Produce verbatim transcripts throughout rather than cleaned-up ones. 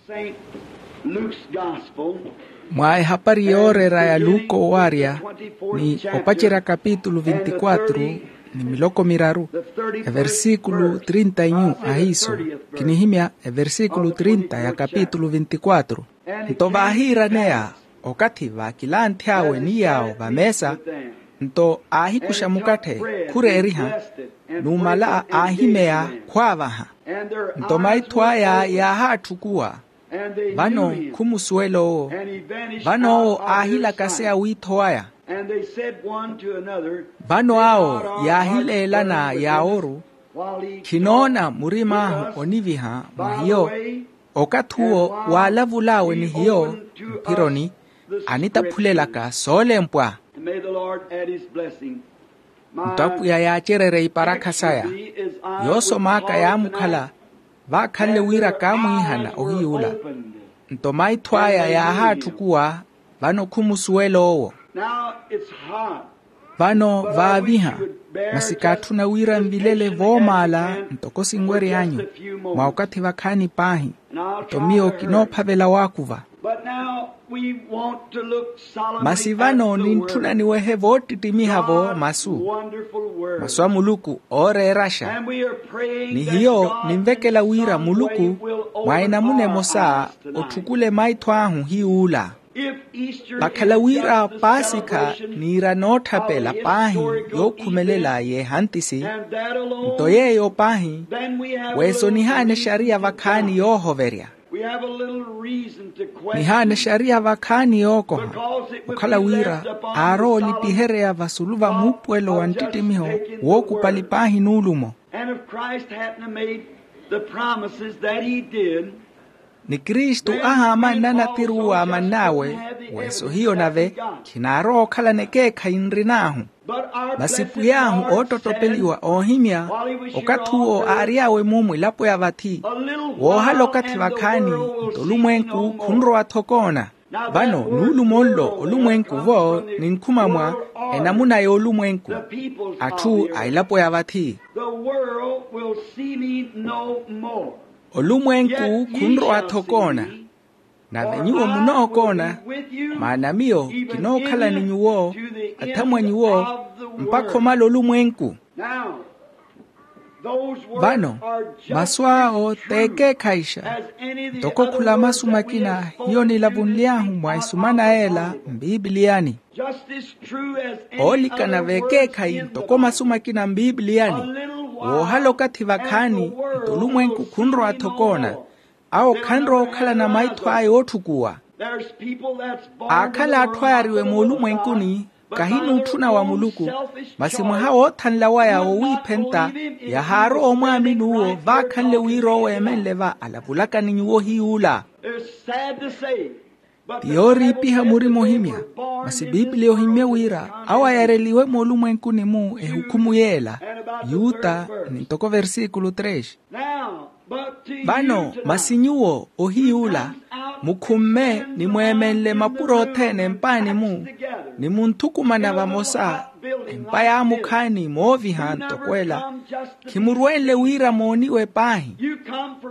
Saint Luke's Gospel. Mwa ehapari yooreera ya luka owaarya, ni opacerya kapitulu vinti-quatro ni miloko miraru, eversikulu trinta inyu ahiiso. Kinihimya eversikulu trinta ya kapitulu vinti-quatro. Nto vaahiiraneya okathi vaakilanthy'awe ni yaawo vameesa, nto aahikuxa mukatthe khureeriha, numala aahimeya khwaavaha. Nto maitho aya yaahaatthukuwa, vano khumusuwela owo. Vano owo aahilakaseya wiitho waya. Vano awo yaahileelana yaaworu, khinoona murim'ahu oniviha mwa hiyo. Okathi uwo waalavul'awe ni hiyo mphironi, anitaphulelaka soolempwa. Nto apwiya yaacererye iparakha saya. Yoosom'aka yaamukhala, vaakhanle wira kaamwiihana ohiy'ula. Nto maitho aya yaahaatthukuwa, vano khumusuwela owo. Vano vaaviha, masi kaatthuna wira nvilele voomaala ntoko sinwery'anyu, mwa okathi vakhaani paahi. Nto miyo kinoophavela waakuva. Masi vano nintthuna niwehe voottittimiha-vo masu, masu a muluku ooreeraxa. Ni hiyo ninvekela wira muluku mwa enamuna emosa otthukule maitho ahu hiy'ula. Vakhala wira paasikha niira nootthapela paahi yookhumelela y'ehantisi, nto yeeyo paahi, weesonihaana exariya vakhaani yoohoverya. Nihaana exariya vakhaani yookoha, okhala wira aarowa olipihereya vasulu va muupuwelo wa nttittimiho wookupali paahi nuulumo. Ni kristu ahaamanna natiru waamann'awe, weeso hiyo nave khinaarowa okhalana ekeekhayi nrin'ahu. Masi pwiy'ahu oottottopeliwa oohimya, okathi uwo aary'awe mumu elapo ya vathi, woohala okathi vakhaani, nto olumwenku khunrowa-tho koona. Vano nuulumo nlo olumwenku-vo ninkhuma mwa enamuna y'olumwenku, atthu a elapo ya vathi. Olumwenku khunrowa-tho koona, nave nyuwo munookoona, maana miyo kinookhala ni nyuwo, athamwa nyuwo, mpakha omala olumwenku. Vano masu awo t'ekeekhayixa, ntoko khula masu makina hiyo nilavunly'ahu mwa esumana ela mpipiliyani. Oolikana v'ekeekhayi ntoko masu makina mpipiliyani, woohala okathi vakhaani, nto olumwenku khunrowa-tho koona. Awo khanrowa okhalana maitho aya ootthukuwa. Aakhala atthu ayariwe moolumwenkuni, kahinuutthuna wa muluku, masi mwaha woothanla waya wowiiphenta, yahaarowa omwaamini uwo vaakhanle wira oweemenle va alavulaka ni nyuwo hiy'ula. Ti yooriipiha murima ohimya, masi piipiliya ohimmye wira awo ayareliwe moolumwenkuni-mu ehukhumu y'ela, yuta, ni ntoko versikulu tres. Vano masi nyuwo ohiy'ula, mukhumme ni mweemenle mapuro othene empaani-mu, ni munthukumana vamosa, empa yaamukhaani mooviha ntoko ela, khimurwenle wira mooniwe paahi.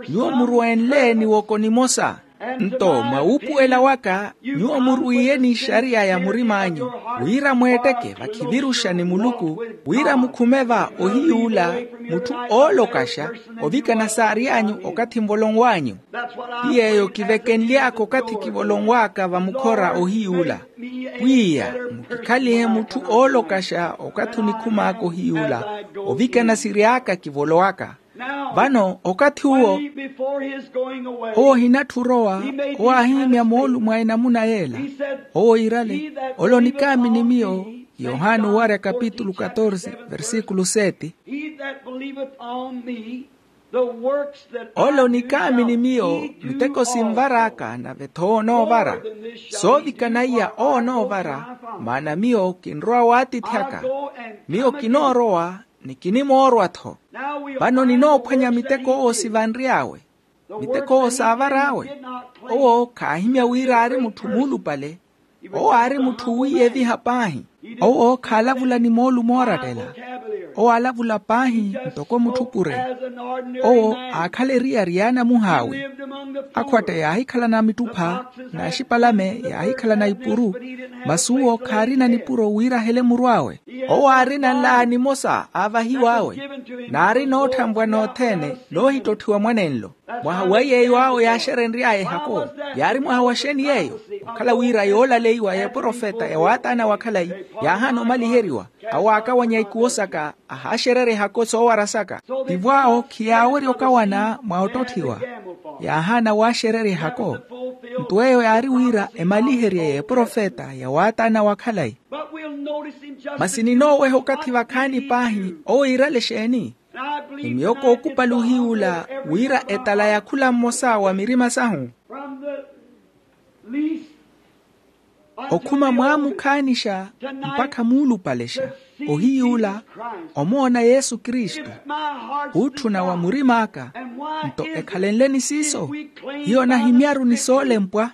Nyuwo murwenle ni woko nimosa. Nto mwa wuupuwela waka, nyuwo murwiiye n'ixariya ya murim'anyu, wira mweetteke vakhiviruxa ni muluku, wira mukhume va ohiy'ula, mutthu oolokaxa, ovikana saary'anyu okathi nvolonw'anyu. Ti yeeyo kivekenly'aka okathi kivolonw'aka vamukhora ohiy'ula, pwiya mukikhalihe mutthu oolokaxa okathi onikhum'aka ohiy'ula, ovikana siry'aka kivolowaka. Vano okathi uwo, owo ohinatthu orowa, owo aahimya moolumo a enamuna y'ela. Owo iirale, ole onikaamini miyo. Yohani owarya kapitulu katorse versikulu seti. Ole onikaamini miyo, miteko sinvar'aka nave-tho onoovara. Soovikana iya onoovara, maana miyo kinrowa w'atiithi aka. Miyo kinoorowa, ni kinimoorwa-tho. Vano ninoophwanya miteko owo sivanry'awe, miteko owo saavar'awe. Owo khaahimya wira aari mutthu muulupale. Owo aari mutthu wiiyeviha paahi. Owo khaalavula ni moolumo oorattela. Owo aalavula paahi ntoko mutthu pure. Owo aakhala eriyari y'anamuh'awe. Akhwatte yaahikhalana mittupha n'axipalame, yaahikhalana ipuru. Masi uwo khaarina nipuro wira ahele muru awe. Owo aarina nlaa nimosa aavahiw'awe, n'ari nootthanvwa nothene noohittotthiwa mwanenlo. Mwaha wa yeeyo awo yaaxerenry'aya ehako, yaari mwaha wa xeeni yeeyo? Okhala wira yoolaleiwa y'eprofeta ya waataana wa khalayi yaahaana omaliheriwa, awo aakawanya ikuwo saka, ahaaxererya ehako soowara saka. Tivo awo khiyaawerya okawana mwa ottotthiwa, yaahaana waaxererya ehako. Nto eyo yaari wira emaliherye y'eprofeta ya waataana wa khalayi. Masi ninooweha okathi vakhaani paahi owo iirale exeeni? Ni miyo kookupali ohiy'ula wira etala ya khula mmosa wa mirima sahu. Okhuma mwaamukhaanixa mpakha muulupalexa, ohiy'ula omoona yesu kristu, khuutthuna wa murim'aka. Nto ekhalenleni siiso, hiyo nahimyaru ni soolempwa.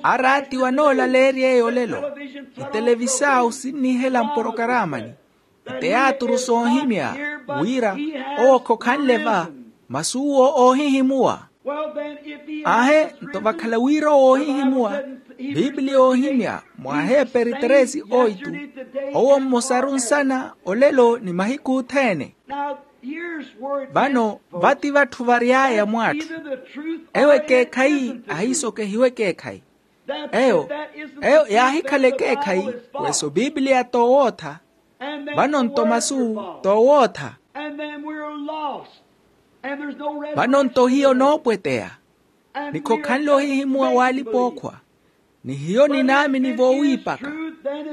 Araatiwa anoolaleerya eyo olelo, etelevisaawu sinnihela mporokaramani, iteyaaturu soohimya, wira owo khokhanle va, masi uwo oohihimuwa. Aahe, nto vakhala wira owo oohihimuwa, piipiliya oohimya mwa aheeperi tresi oitu, owo mmosaru nsana olelo ni mahiku othene. Vano vati vatthu vary'aya mw'atthu, ewo ekeekhayi ahiisokehiwa ekeekhayi. Eyo, eyo yaahikhala ekeekhayi, weso piipiliya t'owootha. Vano nto masu t'owootha. Vano nto hiyo noopweteya, ni khokhanle ohihimuwa w'alipa-ookhwa, ni hiyo ninaamini voowiipaka.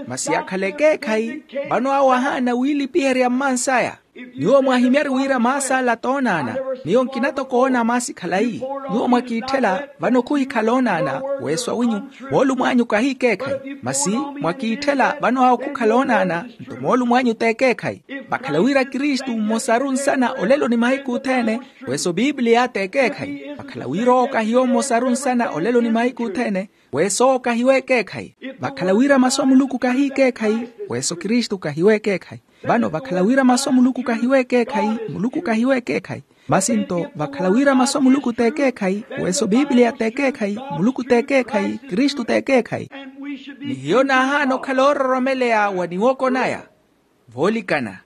Masi yakhala ekeekhayi, vano awo ahaana wiilipiherya mmansaya. Nyuwo mwahimyari wira maasi ala toonaana, miyo nkina toko oona maasi khalayi. Nyuwo mwakiitthela, vano khuhikhala oonaana, weso awinyu, moolumo anyu kahi ekeekhayi. Masi mwakiitthela, vano awo khukhala oonaana, nto moolumo anyu t'ekeekhayi. Vakhala wira kristu mmosaru nsana olelo ni mahiku othene, weso piipiliya t'ekeekhayi. Vakhala wira owo kahiyo mmosaru nsana olelo ni mahiku othene, weso owo kahiwe ekeekhayi. Vakhala wira masu a muluku kahi ekeekhayi, weso kristu kahiwe ekeekhayi. Vano vakhala wira masu a muluku kahiwe ekeekhayi, muluku kahiwe ekeekhayi. Masi nto vakhala wira masu a muluku t'ekeekhayi, weso piipiliya t'ekeekhayi, muluku t'ekeekhayi, kristu t'ekeekhayi. Ni hiyo naahaana okhala oororomeleya wa niwoko naya. Voolikana.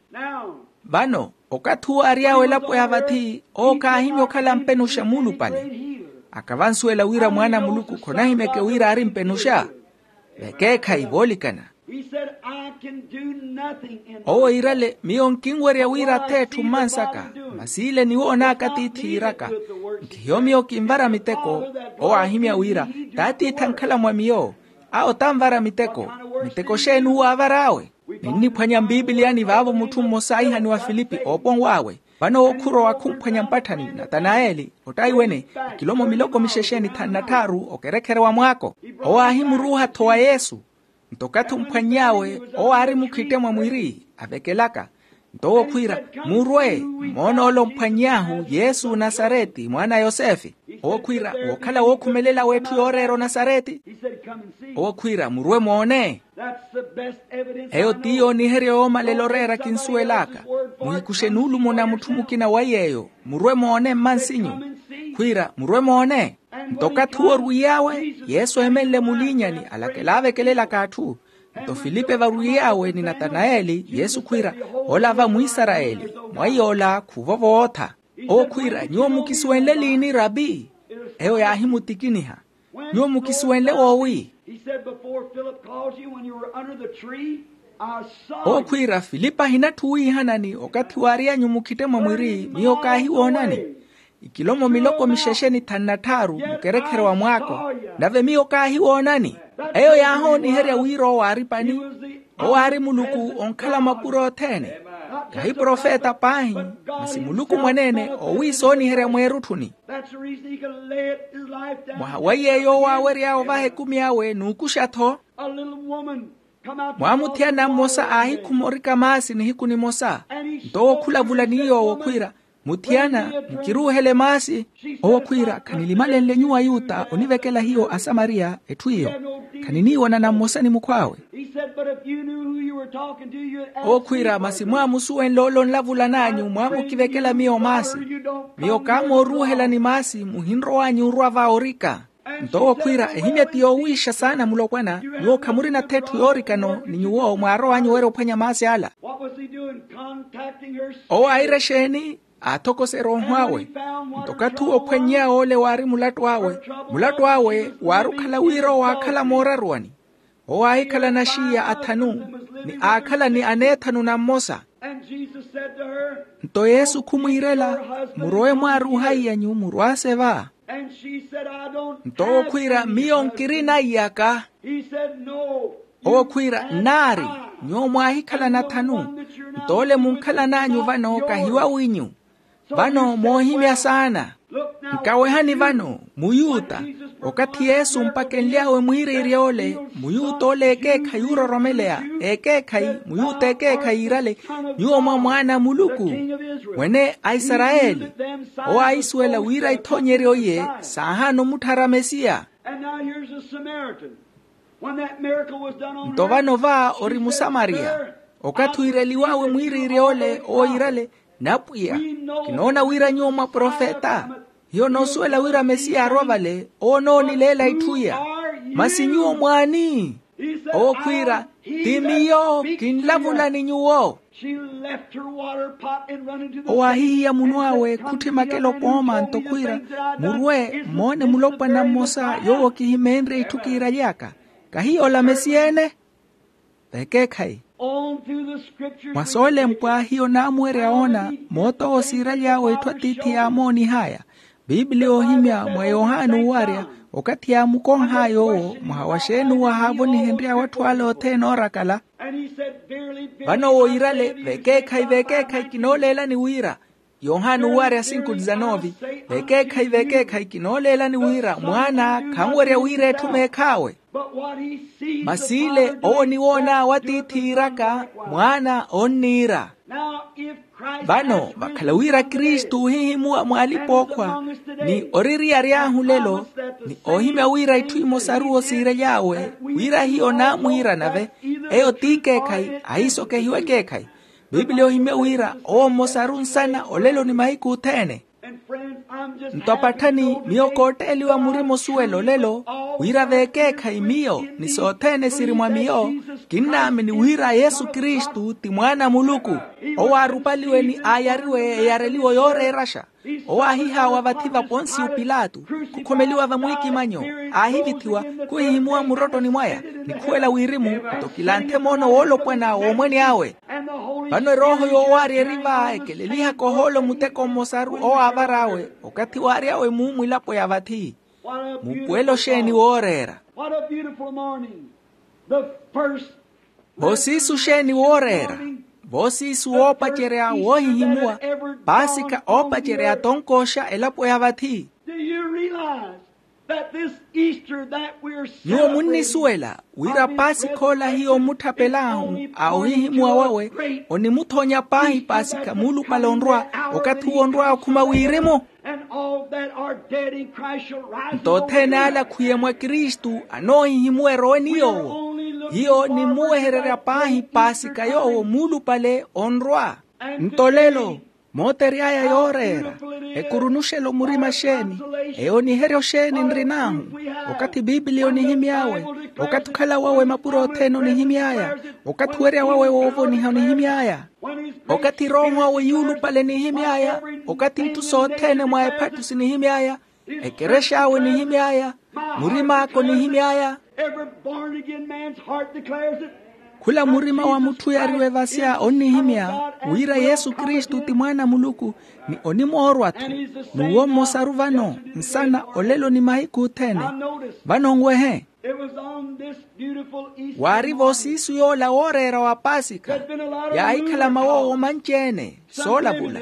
Vano okathi uwo ary'awe elapo ya vathi, owo khaahimya okhala mpenuxa muulupale. Akavansuwela wira mwaana a muluku khonahimyeke wira aari mpenuxa. Vekeekhayi voolikana. Owo iirale, miyo nkinwerya wira ath'etthu mmansaka, masi ile niwoonaaka tiithi iiraka. Nkhihiyo miyo kinvara miteko. Owo aahimya wira, t'atiithi ankhala mwa miyo. Awo tanvara miteko. Miteko xeeni uwo aavar'awe? Ninniphwanya mpipiliyani vaavo mutthu mmosa aihaniwa filipi ooponw'awe. Vano owo khurowa khumphwanya mpatthani natanayeli, ottaiwene, ikilomo miloko mixexe ni thanu na tthaaru okerekhere wa mwaako. Owo aahimuruuha-tho wa yesu. Nto okathi omphwanny'awe, owo aari mukhitte mwa mwiri avekelaka. Nto owo khwiira, murwe, mmoon'ole omphwanny'ahu yesu nasareti mwaana a yosefe. Owo khwiira, wookhala wookhumelela w'etthu yooreera onasareti. Owo khwiira, murwe moone. Eyo ti yooniherya yoomalela oreera kinsuwel'aka. Muhikuxe nuulumo na mutthu mukina wa yeeyo, murwe moone mmansinyu. Khwiira, murwe moone. Nto okathi uwo orwiiy'awe, yesu eemenle muliinyani alakela avekelelaka atthu. Nto filipe varwiiy'awe ni natanayeli yesu khwiira, ola va mwisarayeli, mwaiy'ola khuvo vootha. Owo khwiira, nyuwo mukisuwenle liini rapi? Eyo yaahimutikiniha, nyuwo mukisuwenle woowi? Owo khwiira, filipe ahinatthu wiihanani okathi waary'anyu mukhitte mwa mwiri miyo kaahiwoonani. Ikilomo miloko mixexe ni thanu na tthaaru mukerekhere wa mwaako, nave miyo kaahiwoonani. Eyo yaahooniherya wira owo aari pani. Owo aari muluku onkhala mapuro othene. Kahi profeta paahi, masi muluku mwaneene owiisooniherya mweerutthuni. Mwaha wa yeeyo owo aawery'awe ovaha ekumi awe n'ukuxa-tho. Mwaamuthiyana mmosa aahikhuma orika maasi nihiku nimosa. Nto owo khulavula ni yoowo khwiira, muthiyana, mukiruuhele maasi. Owo khwiira, khanilimalenle nyuwo ayuta onivekela hiyo asamariya etthu iyo. Khaniniiwonana mmosa ni mukhw'awe. Owo khwiira masi mwaamusuwenle ole onlavulan'anyu mwaamukivekela miyo maasi. Miyo kaamooruuhelani maasi muhinrow'anyu orwa va orika. Nto owo khwiira ehimya ti yoowiixa saana mulopwana. Nyuwo khamurina-tho etthu yoorikano ni nyuwo mwaarow'anyu owerya ophwanya maasi ala. Owo aayira exeeni? Aathokoserya oho awe. Nto okathi uwo ophwannyeya ole waari mulattu awe. Mulattu awe waari okhala wira owo aakhala mooraruwani. Owo aahikhala naxiiya athanu ni aakhala ni aneethanu na mmosa. Nto yesu khumwiirela, murowe mwaari ohaiyanyu murwaase va. Nto owo khwiira miyo nkirina iyaka. Owo khwiira nnaari, nyuwo mwaahikhalana athanu. Nto ole munkhalan'anyu vano kahi wawinyu. Vano moohimya saana. Nkawehani vano, muyuta. Okathi yesu mpakenly'awe mwiiriirya ole, muyuta ole ekeekhayi oororomeleya, ekeekhayi muyuta ekeekhayi iirale, nyuwo mwa mwaana a muluku, mwene a isarayeli. Owo aahisuwela wira ithoonyeryo iye saahaana omutthara mesiya. Nto vano va ori musamariya. Okathi wiireliw'awe mwiiriirya ole owo iirale, napwiya, kinoona wira nyuwo mwa profeta. Hiyo noosuwela wira mesiya arwa vale owo onoonileela itthu iya. Masi nyuwo mwaani? Owo khwiira, ti miyo kinlavula ni nyuwo. Owo aahihiya munw'awe khutthi makelo pooma nto khwiira, murwe moone mulopwana mmosa yoowo kihimeenrye itthu kiiraly'aka. Kahiyo ola mesiya-ene? Vekeekhayi. Mwa soolempwa hiyo naamuwerya woona moot'owo siiraly'awe itthu atiithi yaamoonih'aya. Bibiliya oohimya mwa yohani owarya, okathi yaamukonh'aya owo mwaha wa xeeni owo ahaavonihenry'awe atthu ale othene oorakala. Vano owo iirale, vekeekhayi vekeekhayi kinooleelani wira. Yohani owarya sinku dizanovi. Vekeekhayi vekeekhayi kinooleelani wira mwaana khanwerya wira etthu meekh'awe. Masi ile owo oniwoon'awe atiithi iiraka, mwaana onniira. Vano vakhala wira kristu oohihimuwa mwa alipa-ookhwa, ni oririyary'ahu lelo, ni oohimya wira itthu imosaru osiirely'awe, wira hiyo naamwiira nave, eyo t'ikeekhayi ahiisokehiwa ekeekhayi. Bibiliya ohimya wira owo mmosaru nsana olelo ni mahiku othene. Nto apatthani miyo kootteeliwa murima osuwela olelo, wira veekeekhayi miyo ni sothene siri mwa miyo, kinnaamini wira yesu kristu ti mwaana a muluku. Owo aarupaliwe ni aayariwe eyareliwo yooreeraxa. Owo aahihaawa vathi va ponsiyo pilato, khukhomeliwa vamwiikimanyo, aahivithiwa, khuhihimuwa murottoni mwaya, ni khuwela wirimu, nto kilanthe moono woolopwana w'omwene awe. Vano erooho yoowaarya eri va ekelelihaka ohoolo muteko mmosaru owo aavar'awe, okathi waary'awe muumwilapo ya vathi. Muupuwelo xeeni wooreera. Voosiisu xeeni wooreera. Voosiisu woopacerya woohihimuwa. Paasika oopacerya atonkooxa elapo ya vathi. Nyuwo munnisuwela wira pasikha ola hiyo ommutthapel'ahu a ohihimuwa wawe, onimuthonya paahi pasikha muulupale onrwa, okathi uwo onrwa okhuma wirimu. Nto othene ale akhwiye mwa kristu anoohihimuwa erowe ni yoowo. Hiyo nimmuwehererya paahi pasikha yoowo muulupale onrwa. Nto lelo mootery'aya yooreera, ekurunuxelo murima xeeni? Eyo oniheryo xeeni nrin'ahu? Okathi bibiliya onihimy'awe, okathi okhala wawe mapuro othene onihimy'aya, okathi owerya wawe woovoniha onihimy'aya, okathi erooho awe yuulupale nihimy'aya, okathi itthu sothene mwa ephattusi nihimy'aya, ekerex'awe nihimy'aya, murim'aka onihimy'aya. Khula murima wa mutthu oyariwe vasya onnihimya wira yesu kristu ti mwaana a muluku, ni onimoorwa-tho. N'uwo mmosaru vano, nsana olelo ni mahiku othene. Vano nwehe, waari voosiisu yoola wooreera wa pasikha. Yaahikhala mawoowo manci-ene soolavula.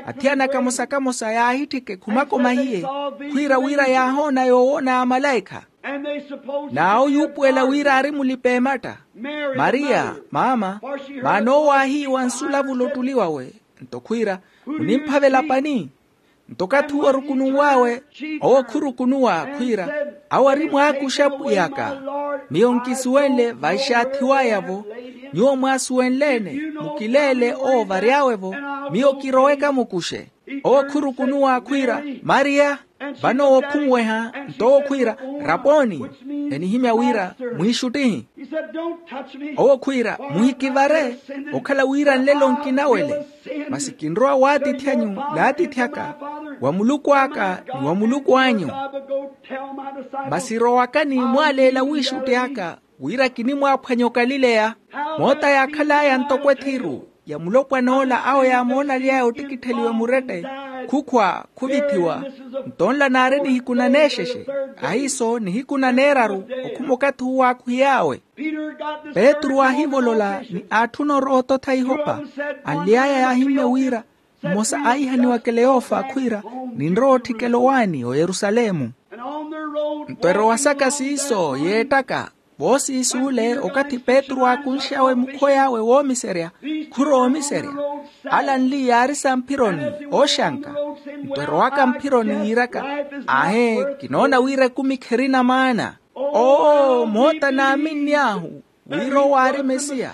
Athiyana kamosa-kamosa yaahitthika ekhumako mahiye, khwiira wira yaahoona yoowoona amalaikha. N'awo yuupuwela wira aari mulipa-ematta. Mariya maama, maana owo aahiiwa nsulavula ottuli wawe. Nto khwiira, munimphavela pani? Nto okathi uwo orukununw'awe, owo khurukunuwa khwiira, awo ari mwaakuxa pwiy'aka. Miyo nkisuwenle vaixaathiw'aya-vo. Nyuwo mwaasuwenle-ene, mukileele owo vary'awe-vo, miyo kiroweke amukuxe. Owo khurukunuwa khwiira, mariya. Vano owo khunweha, nto owo khwiira, raponi. Enihimya wira, mwiixuttihi. Owo khwiira, muhikivare, okhala wira nlelo nkinawele. Masi kinrowa waatiithi anyu n'atiithi aka, wa muluku aka ni wa muluku anyu. Masi rowakani mwaaleela wiixutti aka, wira kinimwaaphwanya okalileya. Moota yaakhal'aya ntoko ethiru ya mulopwan'ola awo yaamoona aly'aya ottikittheliwa murette, khukhwa khuvithiwa. Nto nla naari nihiku naneexexe, ahiiso nihiku naneeraru, okhuma okathi uwo aakuhiy'awe. Petru aahivolola ni aatthuna orowa ototha ihopa. Anly'aya yaahimmya wira, mmosa aahihaniwa keleyofa khwiira, ninrowa otthikela owaani oyerusalemu. Nto erowa saka siiso yeettaka, voosiis'ule okathi petru aakunx'awe mukhoy'awe woomiserya, khurowa omiserya. Ala anli yaari samphironi, ooxanka. Nto erowaka mphironi yiiraka, aahe, kinoona wira ekumi kherina maana. Oo moota naaminny'ahu, wira owo aari mesiya.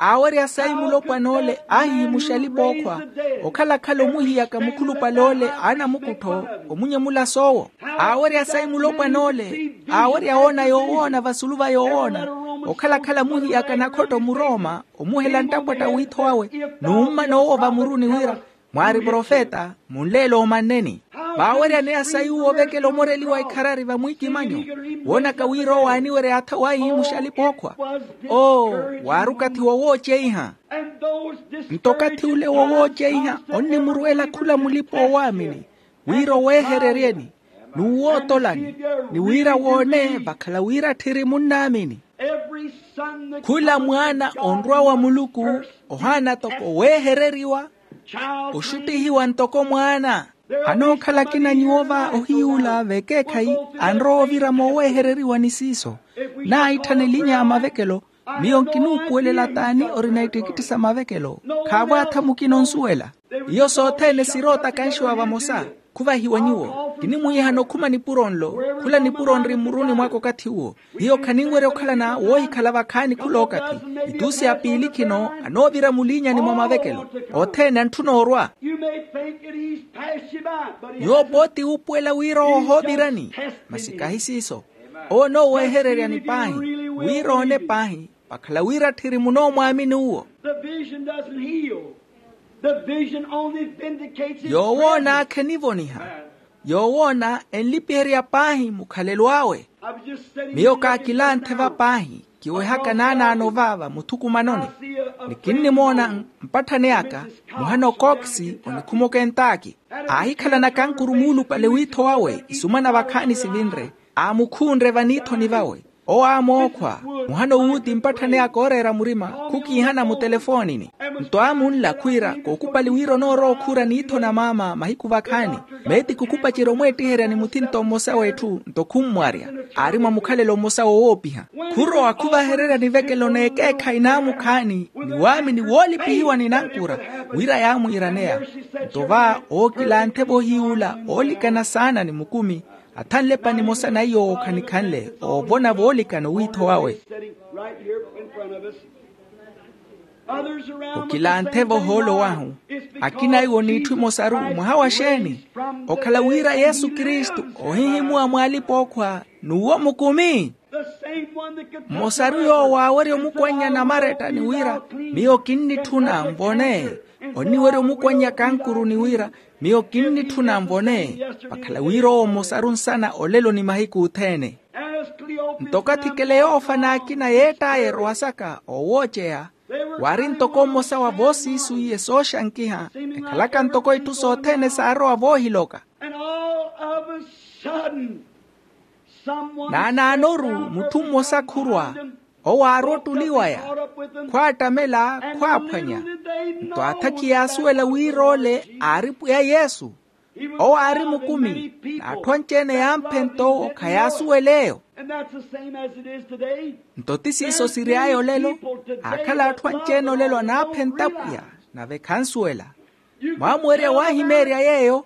Aawerya sayi mulopwan'ole aahihimuxa alipa-ookhwa, okhalakhala omuhiyaka mukhulupale ole a namukuttho, omunyemula soowo. Aawerya sayi mulopwan'ole, aawerya woona yoowoona vasulu va yoowoona, okhalakhala muhiyaka nakhotto murooma, omuhela nttapwatta wiitho wawe, n'ummana owo vamuruni wira, mwaari profeta, munleele omanneni. Vaaweryaneya sayi uwo ovekela omoreliwa ikharari vamwiikimanyo, woonaka wira owo aaniwerya atha waahihimuxa alipa-ookhwa. Oo, waari okathi wowooceiha. Nto okathi ole wowooceiha onnimuruwela khula mulipa-oowaamini, wira oweehereryeni, n'uwootolani, ni wira woone vakhala wira tthiri munnaamini. Khula mwaana onrwa wa muluku, ohaana toko weehereriwa, oxuttihiwa ntoko mwaana. Anookhala akina nyuwo va ohiyuula v'ekeekhayi, anrowa ovira mooweehereriwa ni siiso. Naahitthana elinya a mavekelo, miyo nkinuupuwelela t'ani orina ittikitthi sa mavekelo. Khaavo atha mukina onsuwela. Iyo sothene siroota kanxiwa vamosa. Khuvahiwa nyuwo, kinimwiihana okhuma nipuro nlo. Khula nipuro nri mmuruni mwaka okathi uwo. Hiyo khaninwerya okhalana woohikhala vakhaani khulookathi. Itusi ya piili khino anoovira muliinyani mwa mavekelo. Othene antthuna orwa. Nyuwo pooti uupuwela wira ohoovirani, masi kahi siiso. Owo onooweehereryani paahi, wira oone paahi, vakhala wira tthiri munoomwaamini uwo. Yoowoona khenivoniha. Yoowoona enlipiherya paahi mukhalelo awe. Miyo kaakilanthe va paahi, kiwehaka naanaano va vamuthukumanoni. Ni kinnimoona mpatthani aka, muhana okookisi onikhuma okentaki. Aahikhalana kankuru muulupale wiitho wawe isumana vakhaani sivinre. Aamukhunre vaniithoni vawe. Owo aamookhwa, muhana owuuti mpatthani aka ooreera murima, khukiihana mutelefoonini. Nto aamunla khwiira kookupali wira onoorowa okhuura niitho na maama mahiku vakhaani. Meeti khukupacerya omweettiherya ni muthinto mmosa w'etthu nto khummwarya. Aari mwa mukhalelo mmosa wowoopiha. Khurowa khuvahererya nivekelo n'ekeekhayi n'amukhaani ni waamini woolipihiwa ni nankura, wira yaamwiiraneya. Nto va ookilanthe-vo ohiyuula oolikana saana ni mukumi, athanle pani emosa na iyo ookhanikhanle oovona voolikana owiitho wawe. Okilanthe-vo ohoolo wahu. Akina iwo n'itthu imosaru mwaha wa xeeni? Okhala wira yesu kristu ohihimuwa mw'alipa-ookhwa n'uwo mukumi. Mmosaru yoowo aawerya omukwannya namaretta ni wira, miyo kinnitthuna nvone. Onniwerya omukwannya kankuru ni wira, miyo kinnitthuna nvone. Vakhala wira owo mmosaru nsana olelo ni mahiku othene. Nto okathi keleyofa n'akina yeett'aya erowa saka oowooceya, waari ntoko mmosa wa voosiisu iye sooxankiha, ekhalaka ntoko itthu sothene saarowa voohiloka. Naanaanoru mutthu mmosa khurwa, owo aari ottuli waya, khwaattamela, khwaaphwanya. Nto atha khiyaasuwela wira ole aari pwiya yesu. Owo aari mukumi, n'atthu anci-ene yaamphenta owo khayaasuwela eyo. Nto ti siiso siry'aya olelo. Aakhala atthu anci-ene olelo anaaphenta pwiya, nave khansuwela. Mwaamuwerya waahimeerya yeeyo.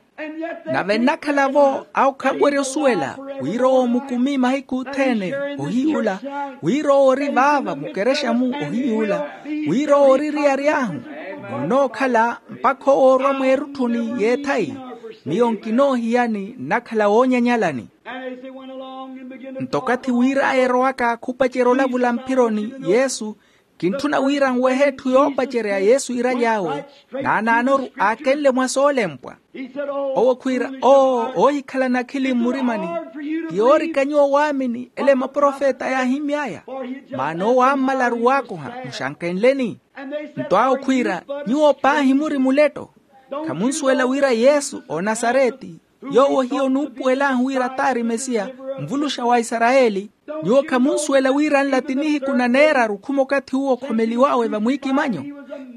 Nave nnakhala-vo awo khanwerya osuwela. Wira owo mukumi mahiku othene, ohiyuula. Wira owo ori vaava mukerexa-mu, ohiyuula. Wira owo ori riyary'ahu, nonookhala mpakha owoorwa mweerutthuni y'ethayi. Miyo nkinoohiyani nnakhala woonyanyalani. Nto okathi wir'aya erowaka khupacerya olavula mphironi yesu. Kintthuna wira nwehe etthu yoopacerya yesu iiraly'awe. Naanaanoru aakenle mwa soolempwa. Owo khwiira, oo oohikhalana akhili mmurimani. Ti yoorika nyuwo waamini ele maprofeta yaahimmy'aya. Maana owo aammalaru waakoha, muxankenleni. Nto awo khwiira, nyuwo paahi muri muletto. Khamunsuwela wira yesu onasareti, yoowo hiyo nuupuwel'ahu wira t'ari mesiya, mvuluxa wa isarayeli. Nyuwo khamunsuwela wira nla ti nihiku na neeraru khuma okathi uwo okhomeliw'awe vamwiikimanyo.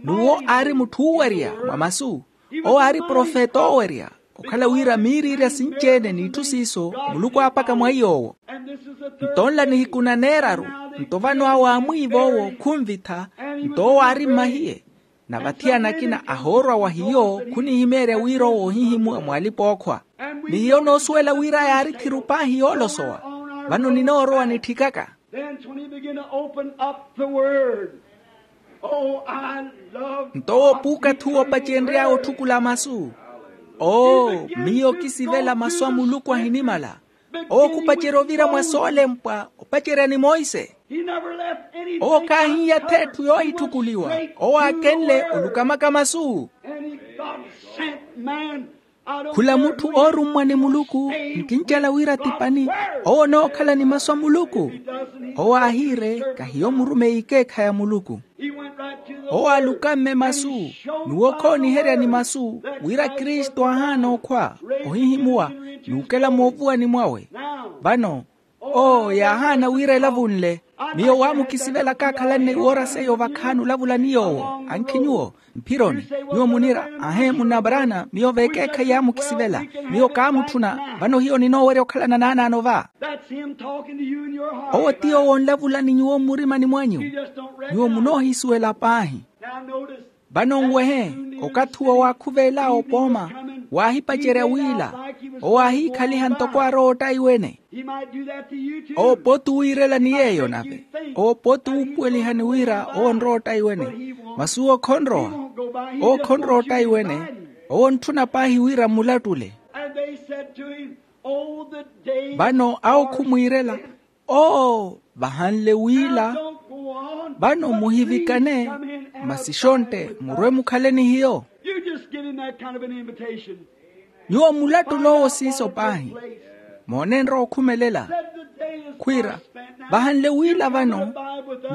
N'uwo aari mutthu oowerya mwa masu. Owo aari profeta oowerya, okhala wira miiriirya sinci-ene n'itthu siiso muluku aapaka mwa iy'owo. Nto nla nihiku na neeraru, nto vano awo aamwiiva owo khunvitha. Nto owo aari mmahiye. Na vathiyana akina ahoorwa wa hiyo khunihimeerya wira owo ohihimuwa mwa alipa-ookhwa. Ni hiyo noosuwela wira yaari thiru paahi yoolosowa. Vano ninoorowa nitthikaka. Then when he began to open up the word, oh, I love. Nto owo puukatthi uwo opacenry'awe otthukula masu. Oo, miyo kisivela masu a muluku ahinimala. Owo khupacerya ovira mwa soolempwa opacerya ni monse. Owo khaahiiya ath'etthu yoohitthukuliwa. Owo aakenle olukamaka masu. Khula mutthu oorummwa ni muluku, nkincela wira ti pani. Owo onookhala ni masu a muluku. Owo aahiire, kahiyo murumeyi ikeekhayi a muluku. Owo aalukamme masu, n'uwo khooniherya ni masu wira kristu aahaana okhwa, ohihimuwa, n'ukela moovuwani mwawe. Vano, oo yaahaana wira elavunle. Miyo waamukisivela kaakhalanne iwoora seiyo vakhaani olavula ni yoowo. Ankhi nyuwo, mphironi, nyuwo muniira, ahe munna brana miyo vekeekhayi yaamukisivela. Miyo kaamutthuna. Vano hiyo ninoowerya okhalana naanaano va. Owo ti yoowo onlavula ni nyuwo mmurimani mwanyu. Nyuwo munoohisuwela paahi. Vano nwehe, okathi uwo waakhuveel'awe opooma, waahipacerya wiila. Owo aahiikhaliha ntoko arowa ottaiwene. Owo pooti wiirelani yeeyo nave. Owo pooti wuupuwelihani wira owo onrowa ottaiwene. Masi uwo khonrowa. Owo khonrowa ottaiwene. Owo ontthuna paahi wira mmulattule. Vano awo khumwiirela, oo vahanle wiila. Vano muhivikane, masi xontte murwe mukhale ni hiyo. Nyuwo mulattul'owo siiso paahi. Moone enrowa okhumelela. Khwiira, vahanle wiila vano.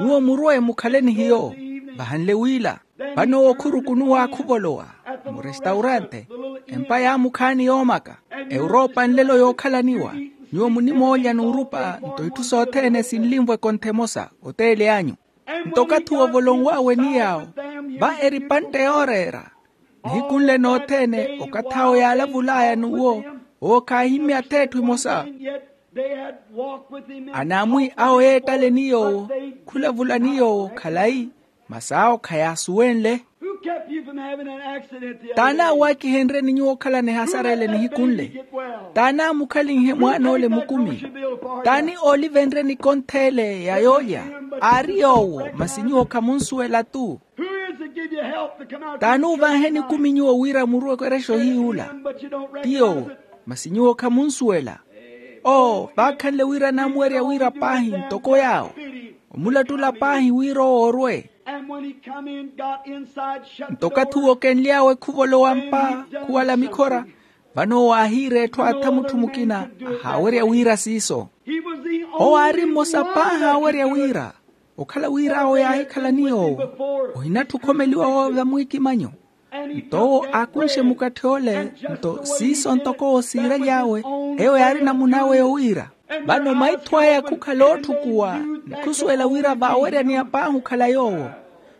Nyuwo murwe mukhale ni hiyo. Vahanle wiila. Vano owo khurukunuwa khuvolowa murestaurante, empa yaamukhaani yoomaka, ewuropa nlelo yookhalaniwa. Nyuwo munimoolya n'urupa nto itthu sothene sinlinvwa ekontha emosa. Oteeli anyu. Nto okathi uwo volonw'awe ni yaawo, va eripantte yooreera. Nihiku nle nothene okathi awo yaalavul'aya n'uwo, owo khaahimmya ath'etthu emosa. Anaamwi awo yeettale ni yoowo, khulavula ni yoowo khalayi. Masi awo khayaasuwenle. T'ani aawaakihenryeni nyuwo okhalana ehasara ele nihiku nle? T'ani aamukhalinhe mwaan'ole mukumi? T'ani oolivenryeni ekonth'ele ya yoolya? Aari yoowo, masi nyuwo khamunsuwela-tu. T'ani uuvanheni ekumi nyuwo wira murwe okerexa ohiyuula? Ti yoowo, masi nyuwo khamunsuwela. Oo vaakhanle wira anaamuwerya wira paahi ntoko yaawo, omulattula paahi wira owo orwe. Nto okathi uwo okenly'awe khuvolowa mpa, khuwala mikhora. Vano owo aahiira etthu atha mutthu mukina ahaawerya wira siiso. Owo aari mmosa paahi aawerya wira, okhala wira awo yaahikhala ni yoowo, ohinatthu okhomeliwa wawe vamwiikimanyo. Nto owo aakunxe mukatth'ole, nto siiso ntoko owo siiraly'awe, eyo yaari namun'awe yowiira. Vano maitho aya khukhala ootthukuwa, ni khusuwela wira vaaweryaniya paahi okhala yoowo.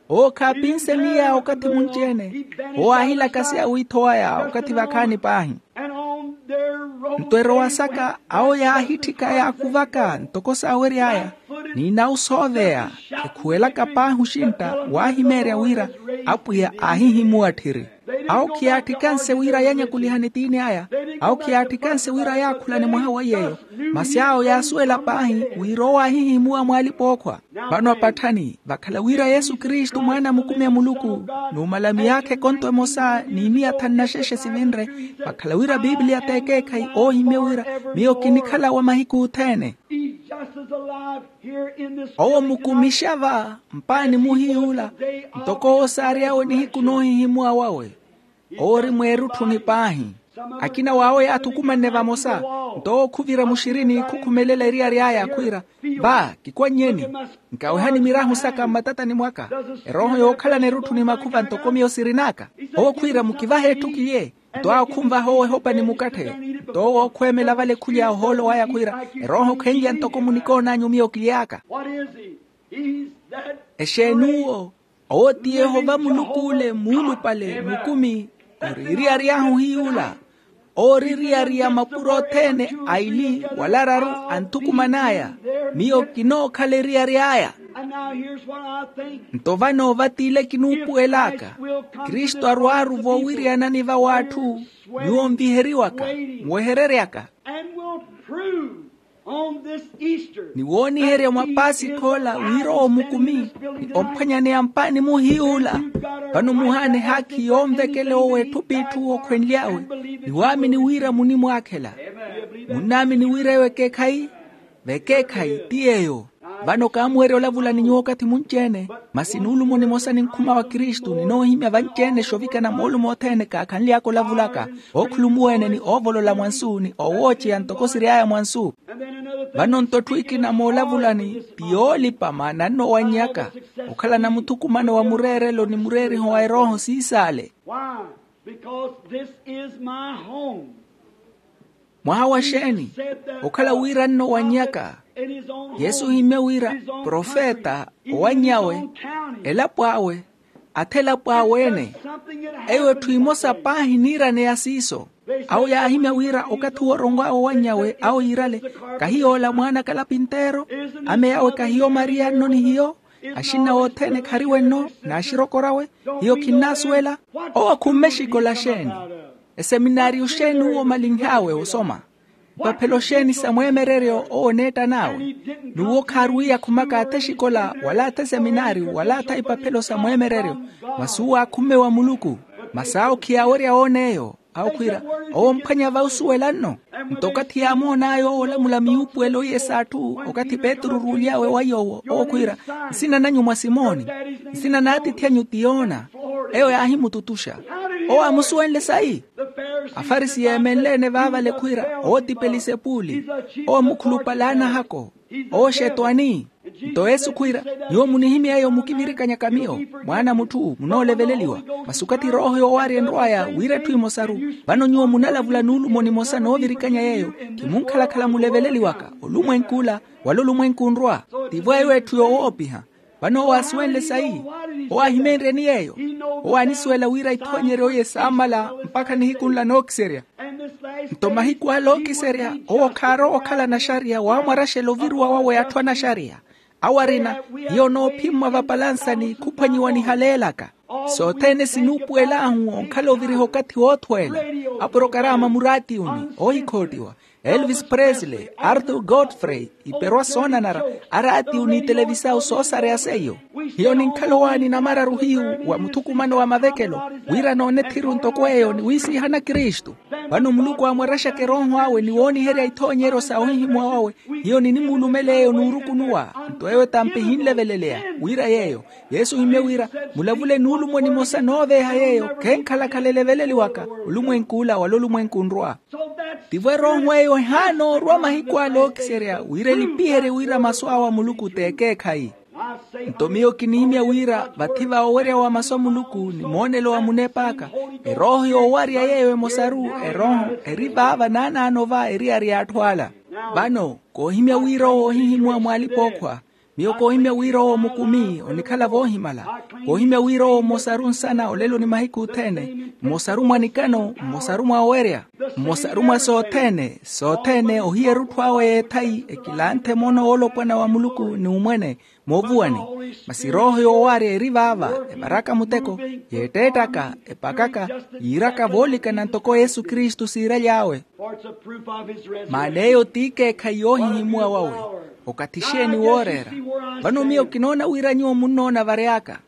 Owo khaapinse miya okathi munci-ene. Owo aahilakaseya wiitho waya okathi vakhaani paahi. Nto erowa saka awo yaahitthika yaakuvaka ntoko saawery'aya, n'inawu sooveya, ekhuwelaka paahi oxintta, waahimeerya wira apwiya aahihimuwa tthiri. Awo khiyaattikanse wira yanyakulihani tiini aya. Awo khiyaattikanse wira yaakhulane mwaha wa yeeyo. Masi awo yaasuwela paahi wira owo aahihimuwa mwaalipa ookhwa. Vano apatthani vakhala wira yesu kristu mwaana a mukumi a muluku, n'umala miyaakha ekonto emosa ni miya thanu na xexe sivinre. Vakhala wira piipiliya t'ekeekhayi oohimye wira miyo kinikhala wa mahiku othene. Owo mukumixa va mpaani muhiyuula, ntoko owo saary'awe nihiku noohihimuwa wawe. Owo ori mweerutthuni paahi. Akina w'awe yaathukumanne vamosa, nto owo khuvira muxirini khukhumelela eriyari aya khwiira, va kikwannyeni, nkawehani mirahu saka mmatatani mwaka. Erooho yookhalana erutthuni makhuva ntoko miyo sirin'aka. Owo khwiira mukivahe etthu kiye. Nto awo khunvaha owo ehopa ni mukatthe. Nto owo khweemela vale khulya ohoolo waya khwiira, erooho khenlya ntoko munikoon'anyu miyo kily'aka. Exeen'uwo? Owo ti yehova muluku ole muulupale mukumi. Ori eriyari ahu hiy'ula. Owo ori eriyari ya mapuro othene aili wala araru. Anthukuman'aya miyo kinookhala eriyari aya. Nto vano vati ile kinuupuwel'aka. Kristu arwaaru voowiriyanani va w'atthu. Nyuwo nviheriwaka, nwehereryaka. Ni wooniherya mwa pasikha ola wira owo mukumi, ni omphwanyaneya mpaani muhiy'ula. Vano muhaana ehaakhi yoonvekela owo etthu p'itthu okhwenly'awe, ni waamini wira munimwaakhela. Munnaamini wira eyo ekeekhayi? Vekeekhayi ti yeeyo. Vano kaamuwerya olavula ni nyuwo okathi munci-ene, masi nuulumo nimosa ninkhuma wa kristu ninoohimya vanci-ene xovikana moolumo othene kaakhanly'aka olavulaka, ookhulumuwa-ene ni oovolola mwansu ni oowooceya ntoko siry'aya mwansu. Vano nto etthu ekina moolavulani ti yoolipa maana annowannyaka, okhalana muthukumano wa mureerelo ni mureeriho wa erooho siisaale. Mwaha wa xeeni? Okhala wira annowannyaka. Yesu ohimmye wira profeta, owannyawe, elapo awe, atha elapo awe-ene. Eyo etthu emosa paahi eniiraneya siiso. Awo yaahimya wira okathi wooronwawe owannyawe awo yiirale, kahiy'ola mwaana a kalapinteero? Ameya awe kahiyo mariya nno ni hiyo? Axinna othene khariwe nno n'axirokor'awe? Hiyo khinnaasuwela. Owo khumme exikola xeeni? Eseminaariyo xeeni uwo omalinh'awe osoma? Ipaphelo xeeni sa mweemereryo owo oneettan'awe? N'uwo khaarwiiya khumaka atha exikola wala atha eseminaariyo wala atha ipaphelo sa mweemereryo. Masi uwo aakhumme wa muluku. Masi awo khiyaawerya woona eyo. Awo khwiira, owo omphwanya va osuwela nno. Nto okathi yaamoon'aya owo olamula miyuupuwelo iye s'atthu okathi petru oruuly'awe wa yoowo owo khwiira, nsina nanyu mwa simoni, nsina n'atiithi anyu ti yoona. Eyo yaahimututuxa. Owo aamusuwenle sayi? Afarisi yeemenle-ene vaavale khwiira owo ti pelisepuli. Owo mukhulupale a anahako. Owo xetwani. Nto yesu khwiira, nyuwo munihimya eyo mukivirikanyaka miyo, mwaana a mutthu munooleveleliwa. Masi okathi erooho yoowaarya enrw'aya wira etthu emosaru, vano nyuwo munalavula nuulumo nimosa noovirikanya yeeyo. Khimunkhalakhala muleveleliwaka olumwenk'ula wala olumwenku onrwa. Tivo eyo etthu yoowoopiha. Vano owo aasuwenle sayi? Owo aahimeenryeni yeeyo? Owo aanisuwela wira ithoonyeryo iye saamala mpakha nihiku nla nookiserya. Nto mahiku ala ookiserya owo khaarowa okhala naxariya waamwaraxela oviruwa wawe atthu anaxariya. Awo arina, hiyo noophimmwa vapalansani khuphwanyiwa nihaleelaka. Sothene sinuupuwel'ahu onkhala oviriha okathi woothweela. Aporokaraama muraatiyuni oohikhoottiwa, elvis presley, arthur godfrey, iperwa soonanara, araatiyu ni televisau soosareya seiyo. Hiyo ninkhala owaani namararu hiyu wa muthukumano wa mavekelo, wira noone ethiru ntoko eyo ni wiisihana kristu. Vano muluku aamwaraxaka erooho awe ni wooniherya ithoonyeryo sa ohihimuwa wawe. Hiyo ninimuulumela eyo nuurukunuwa. Nto eyo etampa ehinleveleleya wira yeeyo. Yesu ohimmye wira, mulavule nuulumo nimosa nooveeha yeeyo khenkhalakhala eleveleliwaka olumwenk'ula wala olumwenku onrwa. Tivo erooho eyo ehaana orwa mahiku ala ookiserya wira elipiherye wira masu awe a muluku t'ekeekhayi. Nto miyo kinihimya wira vathi va owerya wa masu a muluku ni moonelo wa munep'aka, erooho yoowarya yeeyo emosaru, erooho eri vaava naanaano va eriyari y'atthu ala. Vano koohimya wira owo ohihimuwa mw'alipa-ookhwa. Miyo koohimya wira owo mukumi onikhala voohimala. Koohimya wira owo mmosaru nsana olelo ni mahiku othene, mmosaru mwa nikano, mmosaru mwa owerya, mmosaru mwa sothene sothene ohiya erutthu awe y'ethayi ekilanthe moona woolopwana wa muluku ni umwene, moovuwani. Masi erooho yoowaarya eri vaava, evaraka muteko, yeetteettaka, epakaka, yiiraka voolikana ntoko yesu kristu siiraly'awe. Maana eyo t'ikeekhayi yoohihimuwa wawe. Okathi xeeni wooreera? Vano miyo kinoona wira nyuwo munnoona vary'aka.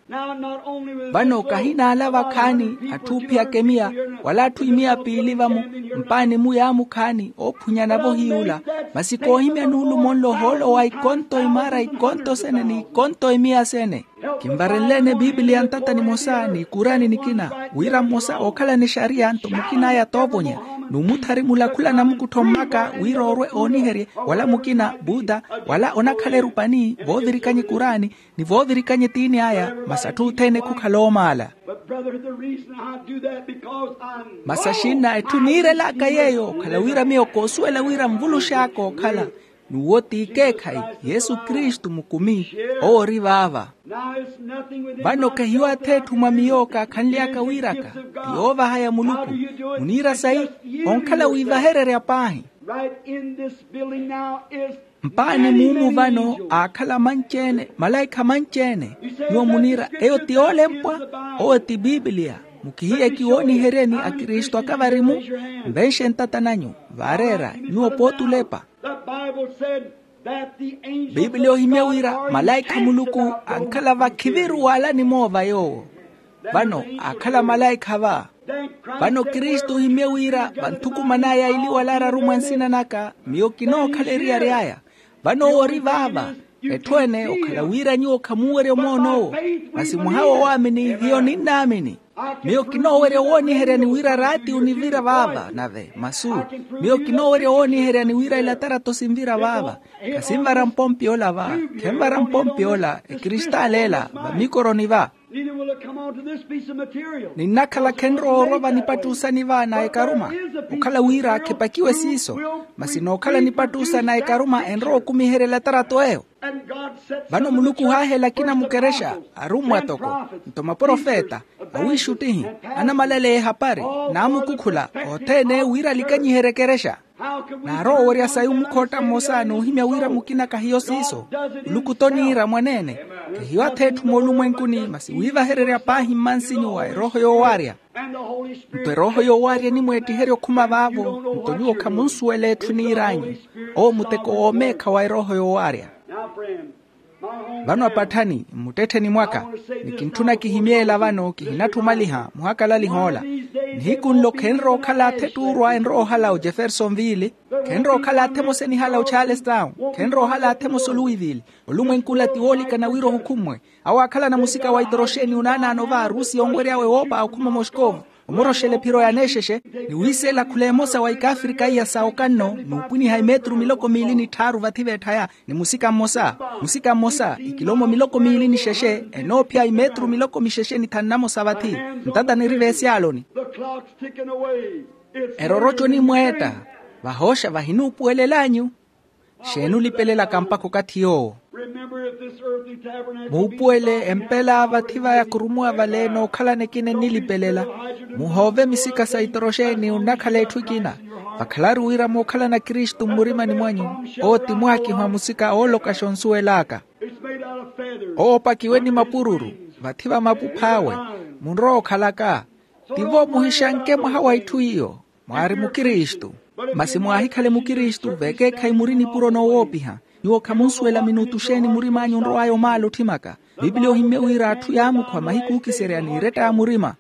Vano kahi naala vakhaani atthu oophiyaka emiya, wala atthu imiya piili vamu, mpaani mu yaamukhaani oophunyanavo hiy'ula. Masi koohimya nuulumo nlo ohoolo wa ikonto imaara ikonto sene n'ikonto imiya sene. Kinvarenle-ene bibiliya ntata nimosa n'ikuraani nikina, wira mmosa ookhalana exariya nto mukin'aya toovonya, n'umuthari mulakhula namukuttho mmaka wira orwe ooniherye, wala mukina buda, wala onakhala erupani voovirikanya ekuraani, ni voovirikanya etiini aya, masi atthu othene khukhala oomaala. But brother, the reason I do that because I know. Masi axinna etthu niirelaka yeeyo okhala wira miyo koosuwela wira nvulux'aka ookhala, n'uwo t'ikeekhayi, yesu kristu mukumi, owo ori vaava. Now it's nothing within. Vano kehiyo atheetthu mwa miyo kaakhanly'aka wiiraka, ti yoovaha ya muluku. Muniira sayi? Onkhala wiivahererya paahi. Right in this building now is mpaani muumu vano aakhala manci-ene, malaikha manci-ene. Nyuwo muniira eyo ti yoolempwa? Owo ti bibiliya. Mukihiye kiwooniheryeni akristu aka vari-mu? Nvenxe ntata nanyu. Vaareera nyuwo pooti olepa. Bibiliya ohimya wira malaikha a muluku ankhala vakhiviru waalani moova yoowo. Vano aakhala malaikha va. Vano kristu ohimye wira vanthukuman'aya eliwala araru mwa nsina naka, miyo kinookhala eriyari aya. Vano owo ori vaava. Etthu ene okhala wira nyuwo khamuuwerya omoon'owo. Masi mwaha woowaamini hiyo ninnaamini. Miyo kinoowerya owooniheryani wira raati onivira vaava nave masu. Miyo kinoowerya owooniheryani wira elatarato sinvira vaava. Khasinvara mpompi ola va. Khenvara mpompi ola ekristaali ela vamikoroni va. Neither will it come onto this piece of material. Ninnakhala khenrowa orwa vanipattuusani va na ekaruma. Okhala wira khepakiwe siiso. Masi nookhala nipattuusa na ekaruma enrowa okumiherya elatarato eyo. Vano muluku ohaahela akina mukerexa, arummwa toko, nto maprofeta, awiixuttihi, anamalaleya ehapari, naamukukhula othene wira alikanyiherye ekerexa. Naarowa owerya sayi omukhotta mmosa n'uhimya wira mukina kahiyo siiso. Muluku toniira mwaneene. Kahiyo atheetthu moolumwenkuni masi wiivahererya paahi mmansinyu wa erooho yoowaarya. Nto erooho yoowaarya enimweettiherya okhuma vaavo. Nto nyuwo khamunsuwela etthu eniir'anyu. Owo muteko woomeekha wa erooho yoowaarya. Vano apatthani mmuttettheni mwaka, ni kintthuna kihimye ela vano kihinatthumaliha muhakalaliha ola. Nihiku nlo khenrowa okhala athettuurwa enrowa ohala ojeffersonville. Khenrowa okhala athe emosa enihala ocharlestown. Khenrowa ohala athe emosa oluwiville. Olumwenku ola ti woolikana wira ohukhummwe. Awo aakhalana musika wa itoroxeni onaanaano va arusi onwery'awe woopa okhuma moscovo. Omoroxela ephiro ya neexexe, ni wiiseela khula emosa wa ikaafrika iya sa okanno n'upwiniha imetru miloko miili ni tthaaru vathi veetthaya. Ni musika mmosa, musika mmosa ikilomo miloko miili ni xexe enoophiya imetru miloko mixexe ni thanu na mosa vathi. Ntata niri veesyaaloni. Eroroco enimweetta. Vahooxa vahinuupuwelel'anyu. Xeenulipelelaka mpakha okathi yoowo? Muupuwele empela vathi va yakurumuwa vale nookhalana ekina enilipelela. Muhoove misika sa itoroxeni onnakhala etthu ekina. Vakhalaru wira mookhalana kristu mmurimani mwanyu. Owo ti mwaakiho a musika oolokaxa onsuwel'aka. Owo opakiwe ni mapururu. Vathi va mapuph'awe. Munrowa okhalaka. Tivo muhixanke mwaha wa itthu iyo. Mwaari mukristu. Masi mwaahikhale mukristu vekeekhayi muri nipuro noowoopiha. Nyuwo khamunsuwela minutu xeeni murim'anyu onrow'aya omaala otthimaka. Bibiliya ohimmye wira atthu yaamukhwa mahiku ookiserya n'iretta ya murima.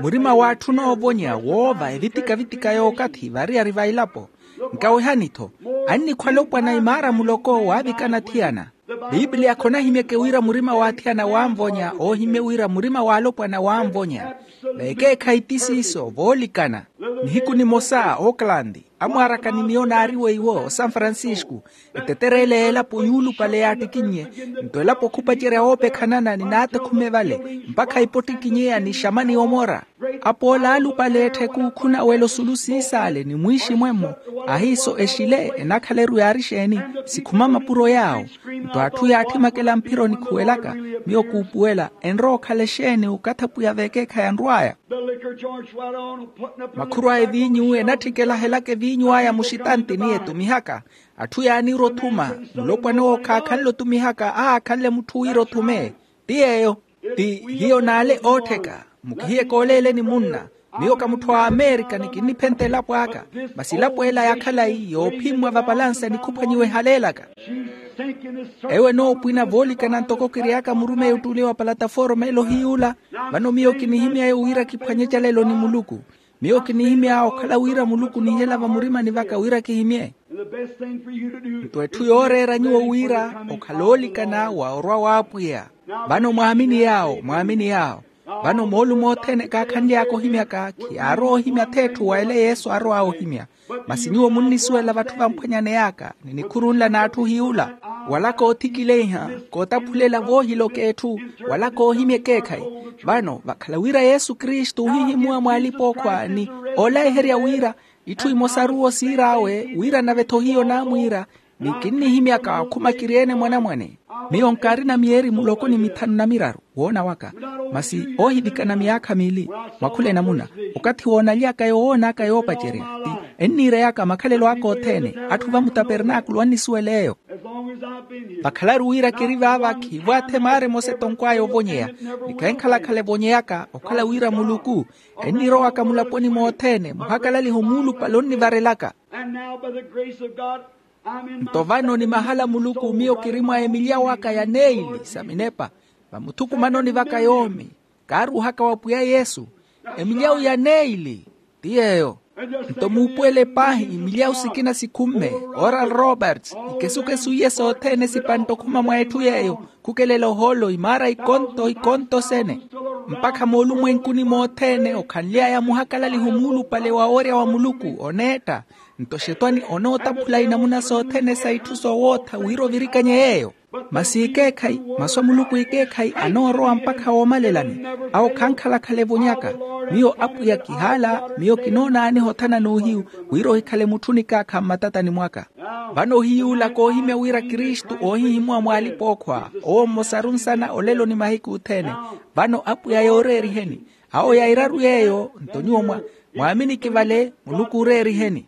Murima w'atthu onoovonya woova evitika-vitika y'okathi variyari va elapo. Nkawehani-tho. Annikhwa alopwana imaara muloko waavikana athiyana. Bibiliya khonahimyeke wira murima w'athiyana waanvonya oohimmye wira murima w'alopwana waanvonya. Vekeekhayi ti siiso voolikana. Nihiku nimosa oklandi. Amwaaraka ni miyo naariwe iwo o san francisco. Eteterele y'elapo yuulupale yaattikinnye. Nto elapo khupacerya woopekhanana ni naatekhume vale mpakha ipottikinyeya ni xamani omora. Apoola aalupale etthe kuukhuna wela osulu siisaale ni mwiiximwemmo. Ahiiso exile enakhala eruyaari exeeni? Sikhuma mapuro yaawo. Nto atthu yaattimakela mphiro nikhuwelaka, miyo kuupuwela enrowa okhala exeeni okathi apwiya veekeekhayi anrw'aya? Makhurw'aya eviinyu enatthikelahelaka eviinyu aya muxitanti ni etumihaka. Atthu yaaniira othuma. Mulopwana owo khaakhanle otumihaka ahaakhanle mutthu wira othume. Ti yeeyo. Ti hiyo naale oottheka. Mukihiye kooleeleni munna. Miyo ka mutthu a amerika ni kinniphenta elapo aka. Masi elapo ela ya khalayi yoophimmwa vapalansa ni khuphwanyiwa ehaleelaka. Ewo enoopwina voolikana ntoko kiry'aka murumeyi ottule wa palataforoma ela ohiy'ula. Vano miyo kinihimy'aya wira kiphwanye ecalelo ni muluku. Miyo kinihimya okhala wira muluku onihela vamurimani vaka wira kihimye. Nto etthu yooreera nyuwo wira okhala oolikana wa orwa w'apwiya. Vano mwaamini yaawo mwaamini yaawo. Vano moolumo othene kaakhanly'aka ohimyaka khiyaarowa ohimya ath'etthu wa ela yesu aarow'awe ohimya. Masi nyuwo munnisuwela vatthu vamphwanyaney'aka ni nikhuru nla n'atthu ohiy'ula. Wala koothikileiha, kootaphulela voohiloka etthu, wala koohimya ekeekhayi. Vano vakhala wira yesu kristu ohihimuwa mw'alipa-okhwa ni oolayiherya wira itthu imosaru owo siir'awe wira nave-tho hiyo naamwiira. Ni kinnihimyaka okhuma kiri-ene mwanamwane. Miyo nkaarina myeeri muloko ni mithanu na miraru woona waka. Masi oohivikana myaakha miili mwakhula enamuna. Okathi woonaly'aka yoowoon'aka yoopacerya ti enniireyaka makhalelo aka othene. Atthu va mutapernaakulu annisuwela eyo. Vakhalaru wira kiri vaava khiivo athe maara emosa etonkw'aya ovonyeya. Ni khenkhala-khala evonyeyaka okhala wira muluku ennirowaka mulaponi mothene muhakalaliho muulupale onnivarelaka. Nto vano ni mahala muluku miyo kiri mwa emilyawo aka ya neili sa minepa. Vamuthukumanoni vaka yoomi kaaruuhaka wa pwiya yesu. Emilyawo ya neili ti yeeyo. Nto muupuwele paahi milyawu sikina sikhumme. Oral roberts ikesukesu iye sothene sipantta okhuma mwa etthu yeeyo. Khukelela ohoolo imaara ikonto ikonto sene mpakha moolumwenkuni mothene okhanly'aya muhakalaliho muulupale wa worya wa muluku oneetta. Nto xetwani onootaphula inamuna sothene sa itthu soowootha wira ovirikanye yeeyo. Masi ikeekhayi masu a muluku ikeekhayi anoorowa mpakha woomalelani. Awo khankhala-khala evonyaka. Miyo apwiya kihaala miyo kinoonaaniha othana n'uhiyu wira ohikhale mutthu nikaakha mmatatani mwaka. Vano ohiyuula koohimya wira kristu oohihimuwa mw'alipa-okhwa owo mmosaru nsana olelo ni mahiku othene. Vano apwiya yooreeriheni awo ya iraru yeeyo nto nyuwo mwa mwaaminiki vale muluku ooreeriheni.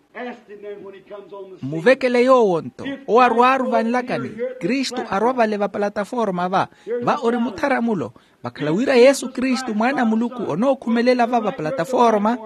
Mmuvekele yoowo nto owo arwaaru vanlakani kristu arwa vale vapalataforma va va ori mutharamulo. Vakhala wira yesu kristu mwaana a muluku onookhumelela va vapalataforma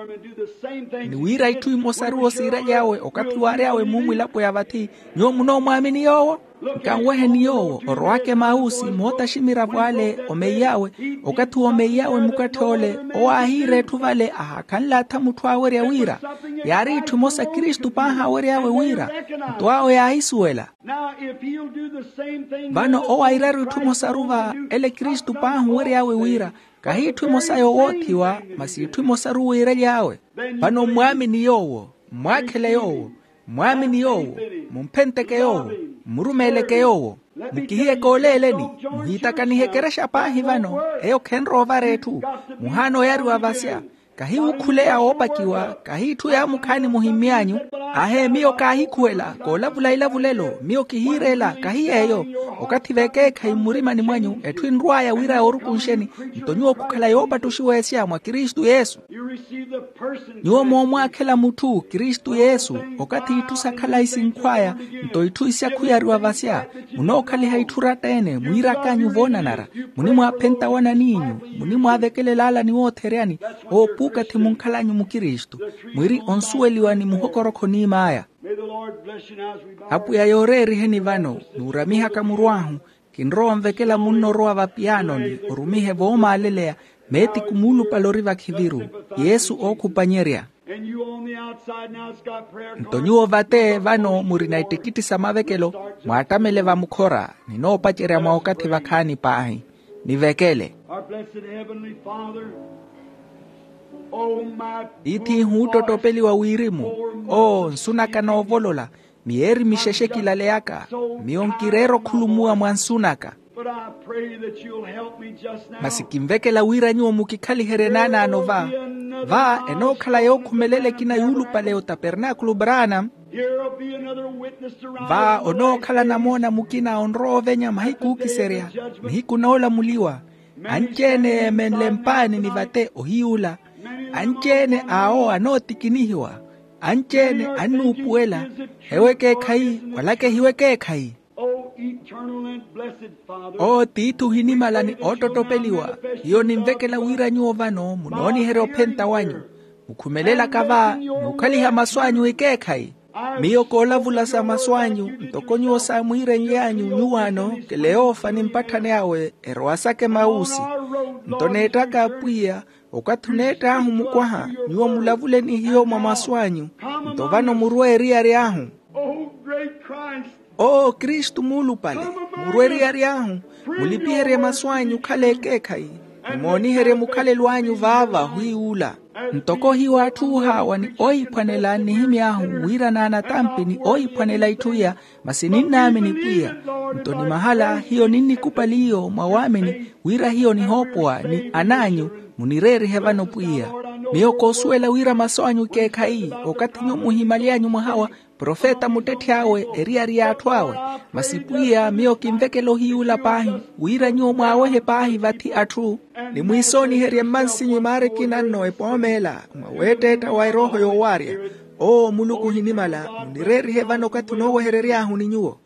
ni wira itthu imosaru osiiraly'awe okathi waary'awe muumwilapo ya vathi. Nyuwo munoomwaamini yoowo? Nkanweheni yoowo orowaka emausi mootaximira vwale omeiy'awe. Okathi woomeiy'awe mukatthi ole owo aahiira etthu vale ahaakhanle atha mutthu aawerya wira yaari itthu imosa kristu paahi aawery'awe wira. Nto awo yaahisuwela. Vano owo airaru itthu imosaru va ele kristu paahi owery'awe wira kahi itthu imosa yoowoothiwa masi itthu imosaru wiiraly'awe. Vano mmwaamini yoowo mmwaakhele yoowo mmwaamini yoowo mumphenteke yoowo mmurumeeleke yoowo. Mukihiyeke oleeleni muhiitakanihe ekerexa paahi vano eyo khenrowa ovara etthu. Muhaana oyariwa vasya kahi wukhuleya woopakiwa kahi itthu yaamukhaani muhimmy'anyu. Ahe miyo kaahikhuwela koolavula ilavulelo miyo kihiireela kahi yeeyo. Okathi vekeekhayi mmurimani mwanyu etthu enrw'aya wira yoorukunxeni nto nyuwo khukhala yoopattuxiwa esya mwa kristu yesu. Nyuwo moomwaakhela mutthu kristu yesu okathi itthu sa khalayi sinkhw'aya nto itthu isya khuyariwa vasya. Munookhaliha itthu oratta-ene mwiirak'anyu voonanara munimwaaphenta wanan'inyu munimwaavekelela ala niwootheryani. Owo puukathi munkhal'anyu mukristu mwiri onsuweliwa ni muhokorokho oniim'aya. Apwiya yooreeriheni vano nuuramihaka murw'ahu kinrowa onvekela munno orowa vapiyanoni orumihe voomaaleleya meetiku muulupale ori vakhiviru yesu ookhupanyerya. Nto nyuwo vate vano murina ittikitti sa mavekelo mwaattamele vamukhora ninoopacerya mwa okathi vakhaani paahi nivekele. Our blessed Heavenly Father, Tiith'ihu oottottopeliwa wirimu. Oo nsu naka noovolola, miyeeri mixexe kilaleyaka. Miyo nkireera okhulumuwa mwa nsu naka. Masi kinvekela wira nyuwo mukikhaliherye naanaano va. Va enookhala yookhumelela ekina yuulupale otapernaakulu branam. Va onookhala namoona mukina onrowa ovenya mahiku ookiserya, nihiku noolamuliwa. Anci-ene yeemenle mpaani ni vate ohiy'ula. Anci-ene awo anootikinihiwa. Anci-ene annuupuwela. Ewo ekeekhayi wala kehiwo ekeekhayi. Oo tiithi ohinimala ni oottottopeliwa, hiyo ninvekela wira nyuwo vano munooniherya ophenta wanyu. Mukhumelelaka va n'ukhaliha masu anyu ekeekhayi. Miyo koolavula sa masu anyu ntoko nyuwo saamwiirenly'anyu nyuwaano. Keleofa ni mpatthani awe erowa saka emawusi. Nto neettaka apwiya, okathi oneett'ahu mukwaha, nyuwo mulavule ni hiyo mwa masu anyu. Nto vano murwe eriyari ahu. Oo kristu muulupale, murwe eriyari ahu. Mulipiherye masu anyu okhale ekeekhayi, nimooniherye mukhalelo anyu vaava hwiwula. Ntoko hiyo atthu oohaawa ni oohiphwanela nnihimy'ahu wira naanatampi ni oohiphwanela itthu iya. Masi ninnaamini pwiya. Nto ni mahala hiyo ninnikupali iyo mwa waamini, wira hiyo nihoopowa ni an'anyu. Munireerihe vano pwiya. Miyo koosuwela wira masu anyu ekeekhayi okathi nyuwo muhimaly'anyu mwaha wa profeta muttetthi awe eriyari y'atthu awe. Masi pwiya miyo kinvekela ohiyuula paahi, wira nyuwo mwaawehe paahi vathi atthu, ni mwiisooniherye mmansinyu imaara ekina nno epoomeela mwa weetteetta wa erooho yoowaarya. Oo muluku ohinimala, munireerihe vano okathi onooweherery'ahu ni nyuwo.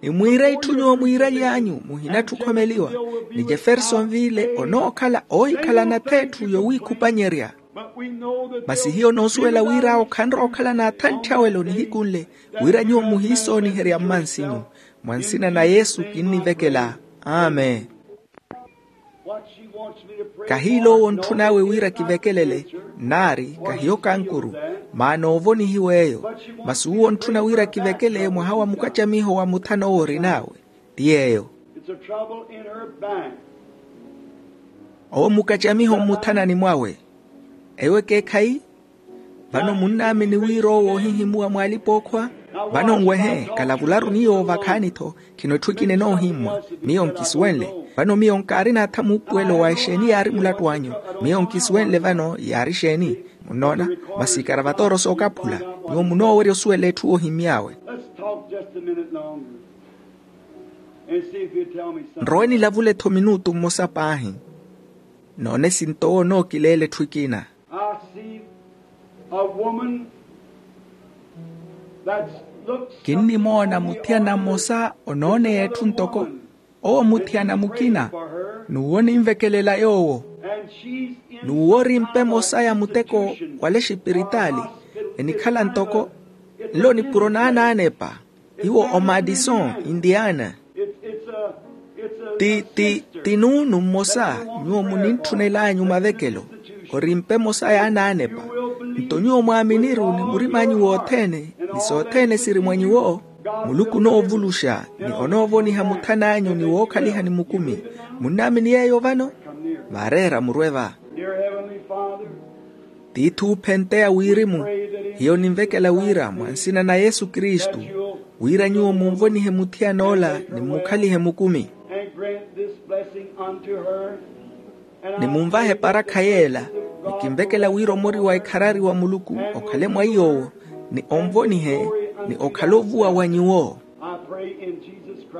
Ni mwiire itthu nyuwo mwiiraly'anyu muhinatthi okhomeliwa. Ni jeferson viile onookhala oohikhalana ath'etthu yowiikhupanyerya. Masi hiyo onoosuwela wira awo khanrowa okhala n'athantthyawelo nihiku nle, wira nyuwo muhiisooniherya mmansinyu. Mwa nsina na yesu kinnivekela. Amen. Kahiila owo ontthun'awe wira kivekelele, nnaari kahiyo kankuru, maana oovonihiwa eyo. Masi uwo ontthuna wira kivekele mwaha wa mukacamiho wa muthana owo orin'awe. Ti yeeyo. Owo mukacamiho mmuthanani mwawe. Eyo ekeekhayi. Vano munnaamini wira owo oohihimuwa mw'alipa-ookhwa? Vano nwehe, kalavularu nyuwo vakhaani-tho. Khino etthu ekina enoohimmwa. Miyo nkisuwenle. Vano miyo nkaari naatha muupuwelo wa exeeni yaari mulattu anyu. Miyo nkisuwenle vano yaari exeeni. Munnoona? Masi ikaravatooro sookaphula. Nyuwo munoowerya osuwela etthu oohimmy'awe. Nrowe nilavule-tho minutu mmosa paahi. Noone sinto owo onookileela etthu ekina. Kinnimoona muthiyana mmosa onooneya etthu ntoko owo muthiyana mukina. N'uwo ninvekelela yoowo. N'uwo ori mpe emosa ya muteko wala exipiritaali. Enikhala ntoko nlo nipuro naanaanepa. Iwo omadison, indiana. Ti ti ti nuunu mmosa nyuwo munintthunel'anyu mavekelo. Ori mpe emosa y'anaanepa. Nto nyuwo mwaaminiru ni murim'anyu wothene, ni sothene siri mwa nyuwo. Muluku onoovuluxa ni onoovoniha muthan'anyu ni wookhaliha ni mukumi. Munnaamini yeeyo vano? Vaareera murwe va. Tiithi oophenteya wirimu, hiyo ninvekela wira mwa nsina na yesu kristu, wira nyuwo munvonihe muthiyan'ola ni mmukhalihe mukumi. Ni munvahe eparakha yeela. Ni kinvekela wira omori wa ikharari wa muluku okhale mwa iy'owo, ni onvonihe, ni okhale ovuwa wa nyuwo.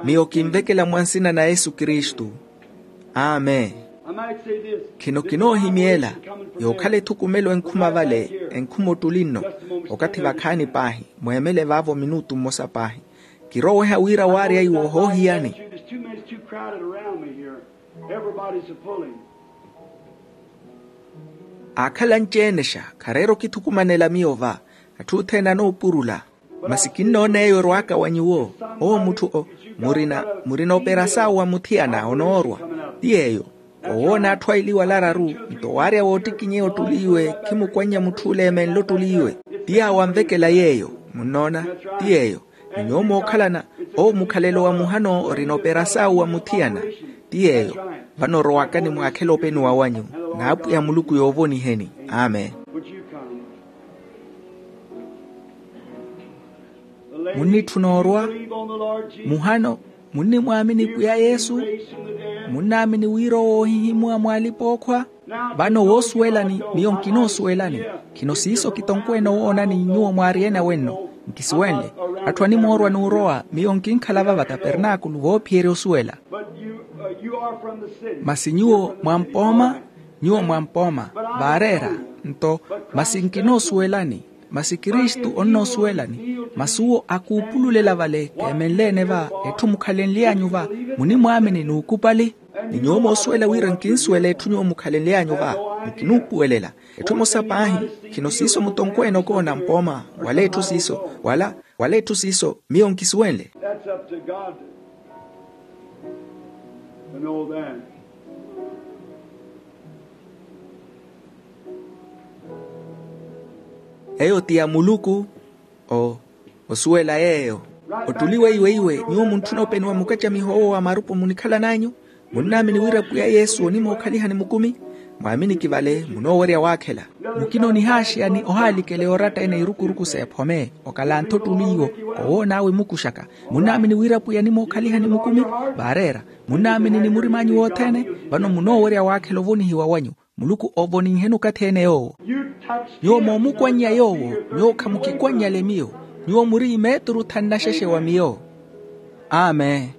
Miyo kinvekela mwa nsina na yesu kristu. Amen. Khino kinoohimyela yookhala ethukumelo enkhuma vale, enkhuma ottuli nno. Okathi vakhaani paahi, mweemele vaavo minutu mmosa paahi. Kiroweha wira waarya iwo ohoohiyani. Aakhala anci-enexa khareera okithukumanela miyo va. Atthu othene anoopurula. Masi kinnoona eyo erwaka wa nyuwo. Owo mutthu o, murina murina operasau wa muthiyana onoorwa. Ti yeeyo. Owoona atthu aili wala araru, nto waarya woottikinyeya ottuli iwe khimukwannya mutthu ole eemenle ottuli iwe. Ti yaawo anvekela yeeyo. Munnoona? Ti yeeyo. Ni nyuwo mookhalana, owo mukhalelo wa muhano orina operasau wa muthiyana. Ti yeeyo. Vano orowakani mwaakhele openuwa wanyu. n'apwiya muluku yoovoniheni. Amen. Munnitthuna orwa? Muhano, munnimwaamini pwiya yesu? Munnaamini wira owo ohihimuwa mw'alipa-ookhwa? Vano woosuwelani, miyo nkinoosuwelani. Khino siiso kitonkweene owoonani nyuwo mwaari ene awenno. Nkisuwenle. Atthu animoorwa n'urowa miyo nkinkhala vava tapernaakulu voophiyerya osuwela. Masi nyuwo mwampooma, nyuwo mwampooma. Vaareera nto, masi nkinoosuwelani. Masi kristu onnoosuwelani. Masi uwo akuupululela vale keemenleene va, etthu mukhalenly'anyu va, munimwaamini n'ukupali. Ni nyuwo moosuwela wira nkinsuwela etthu nyuwo mukhalenly'anyu va, nkinuupuwelela. Etthu emosa paahi, khino siiso mutonkweene okoona mpooma, wala etthu siiso, wala wala etthu siiso miyo nkisuwenle. That's up to God to know that. Eyo ti ya muluku. O osuwela yeeyo. Ottuli weiweiwe nyuwo muntthuna openiwa mukacamiho owo wa marupu munikhalan'anyu? Munnaamini wira pwiya yesu onimookhalihani mukumi? Mwaaminiki vale munoowerya waakhela. Mukina onihaaxeya ni ohaalikela yooratta ene irukuruku s'ephome okalanttha ottuli iwo, owoon'awe mukuxaka. Munnaamini wira pwiya onimookhalihani mukumi? Vaareera. Munnaamini ni murim'anyu wothene? Vano munoowerya waakhela ovonihiwa wanyu. Muluku ovoninheni okathi ene yoowo. Nyuwo moomukwannya yoowo, nyuwo khamukikwannyale miyo. Nyuwo muri imeeturu thanu naxexe wa miyo. Amen.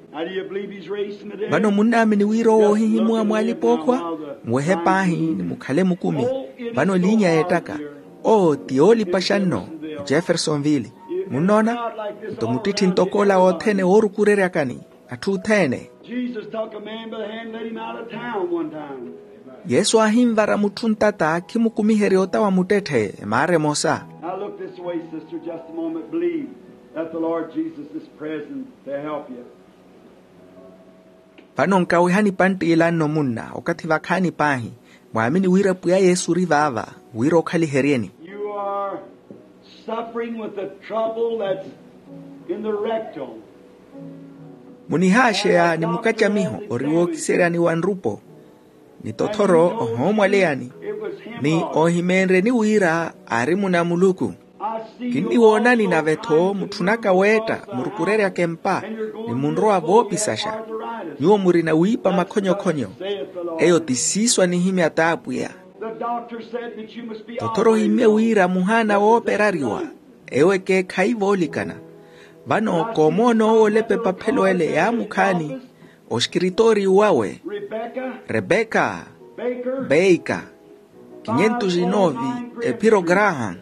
Vano munnaamini wira owo ohihimuwa mw'alipa-ookhwa? Muwehe paahi ni mukhale mukumi. Vano liinya y'ettaka. Owo ti yoolipaxa nno. Jeffersonville. Munnoona? Nto muttitthi ntoko ola othene woorukureryakani. Atthu othene. Jesus took a man by the hand and led him out of town one time. Yesu aahinvara mutthu ntata khimukumiherya ota wa muttetthe emaara emosa. Now look this way, sister, just a moment. Believe that the Lord Jesus is present to help you. Vano nkawihani panttiila nno munna okathi vakhaani paahi. Mwaamini wira pwiya yesu ori vaava wira okhaliheryeni. You are suffering with the trouble that's in the rectal. Munihaaxeya ni mukacamiho ori wookiseryani wa nrupo. Ni tothoro ohoomwaleyani. Ni oohimeenryeni wira aari muna muluku. Kinniwoonani nave-tho mutthu naka weetta murukureryaka empa, ni munrowa voopisaxa. Nyuwo murina wiipa makhonyokhonyo. Eyo ti siiso anihimya t'apwiya. Tothoro ohimmye wira muhaana wooperariwa. Eyo ekeekhayi voolikana. Vano koomoona owo olepa epaphelo ele yaamukhaani oxkiritooriyu wawe, rebeka, beika, kinyentu xinoovi, ephiro graham.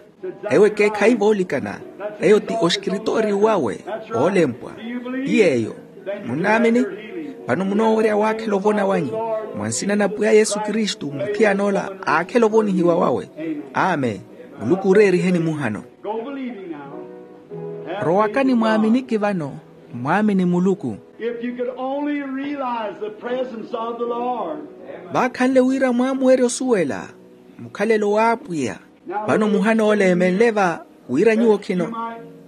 Eyo ekeekhayi voolikana. Eyo ti oxkiritooriyu wawe oolempwa. Ti yeeyo. Munnaamini? Vano munoowerya waakhela ovona wanyu. Mwa nsina na pwiya yesu kristu muthiyan'ola aakhela ovonihiwa wawe. Amen. Muluku oreeriheni muhano. Rowakani mwaaminiki vano. Mwaamini muluku. If you could only realize the presence of the Lord. Vaakhanle wira mwaamuwerya osuwela mukhalelo w'apwiya. Vano muhana ole eemenle va wira nyuwo khino,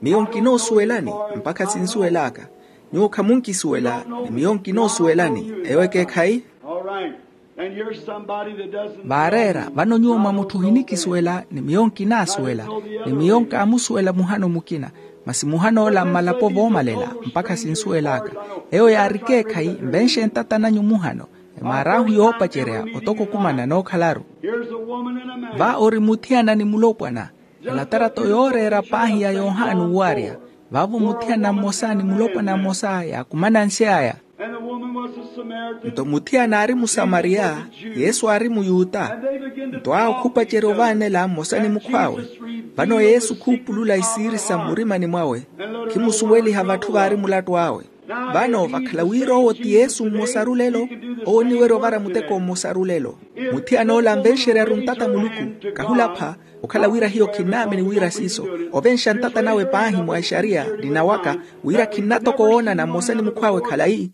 miyo nkinoosuwelani mpakha sinsuwel'aka. Nyuwo khamunkisuwela ni miyo nkinoosuwelani. Eyo ekeekhayi. Vaareera vano nyuwo mwa mutthu ohinikisuwela ni miyo nkinaasuwela, ni miyo nkaamusuwela muhano mukina. Masi muhana ola mmalapo voomalela mpakha sinsuwel'aka. Eyo yaari ekeekhayi. Nvenxe ntata nanyu muhano. Emaar'ahu yoopacerya otoko okumana nookhalaru. Va ori muthiyana ni mulopwana. Elatarato yooreera paahi ya yohani owaarya. Vaavo muthiyana mmosa ni mulopwana mmosa yaakumana nsi aya. Nto muthiyana aari musamariya, yesu aari muyuta. Nto awo khupacerya ovaanela mmosa ni mukhw'awe. Vano yesu khuupulula isiiri sa mmurimani mwawe, khimusuweliha vatthu vaari mulattu awe. Vano vakhala wira owo ti yesu mmosa rulelo. Owo oniwerya ovara muteko mmosa rulelo. Muthiyana ola anvenxeryaru ntata muluku, kahulapha. Okhala wira hiyo khinnaamini wira siiso, ovenxa ntata nawe paahi mwa exariya, nina waka, wira khinnatoka owoonana mmosa ni mukhw'awe khalayi.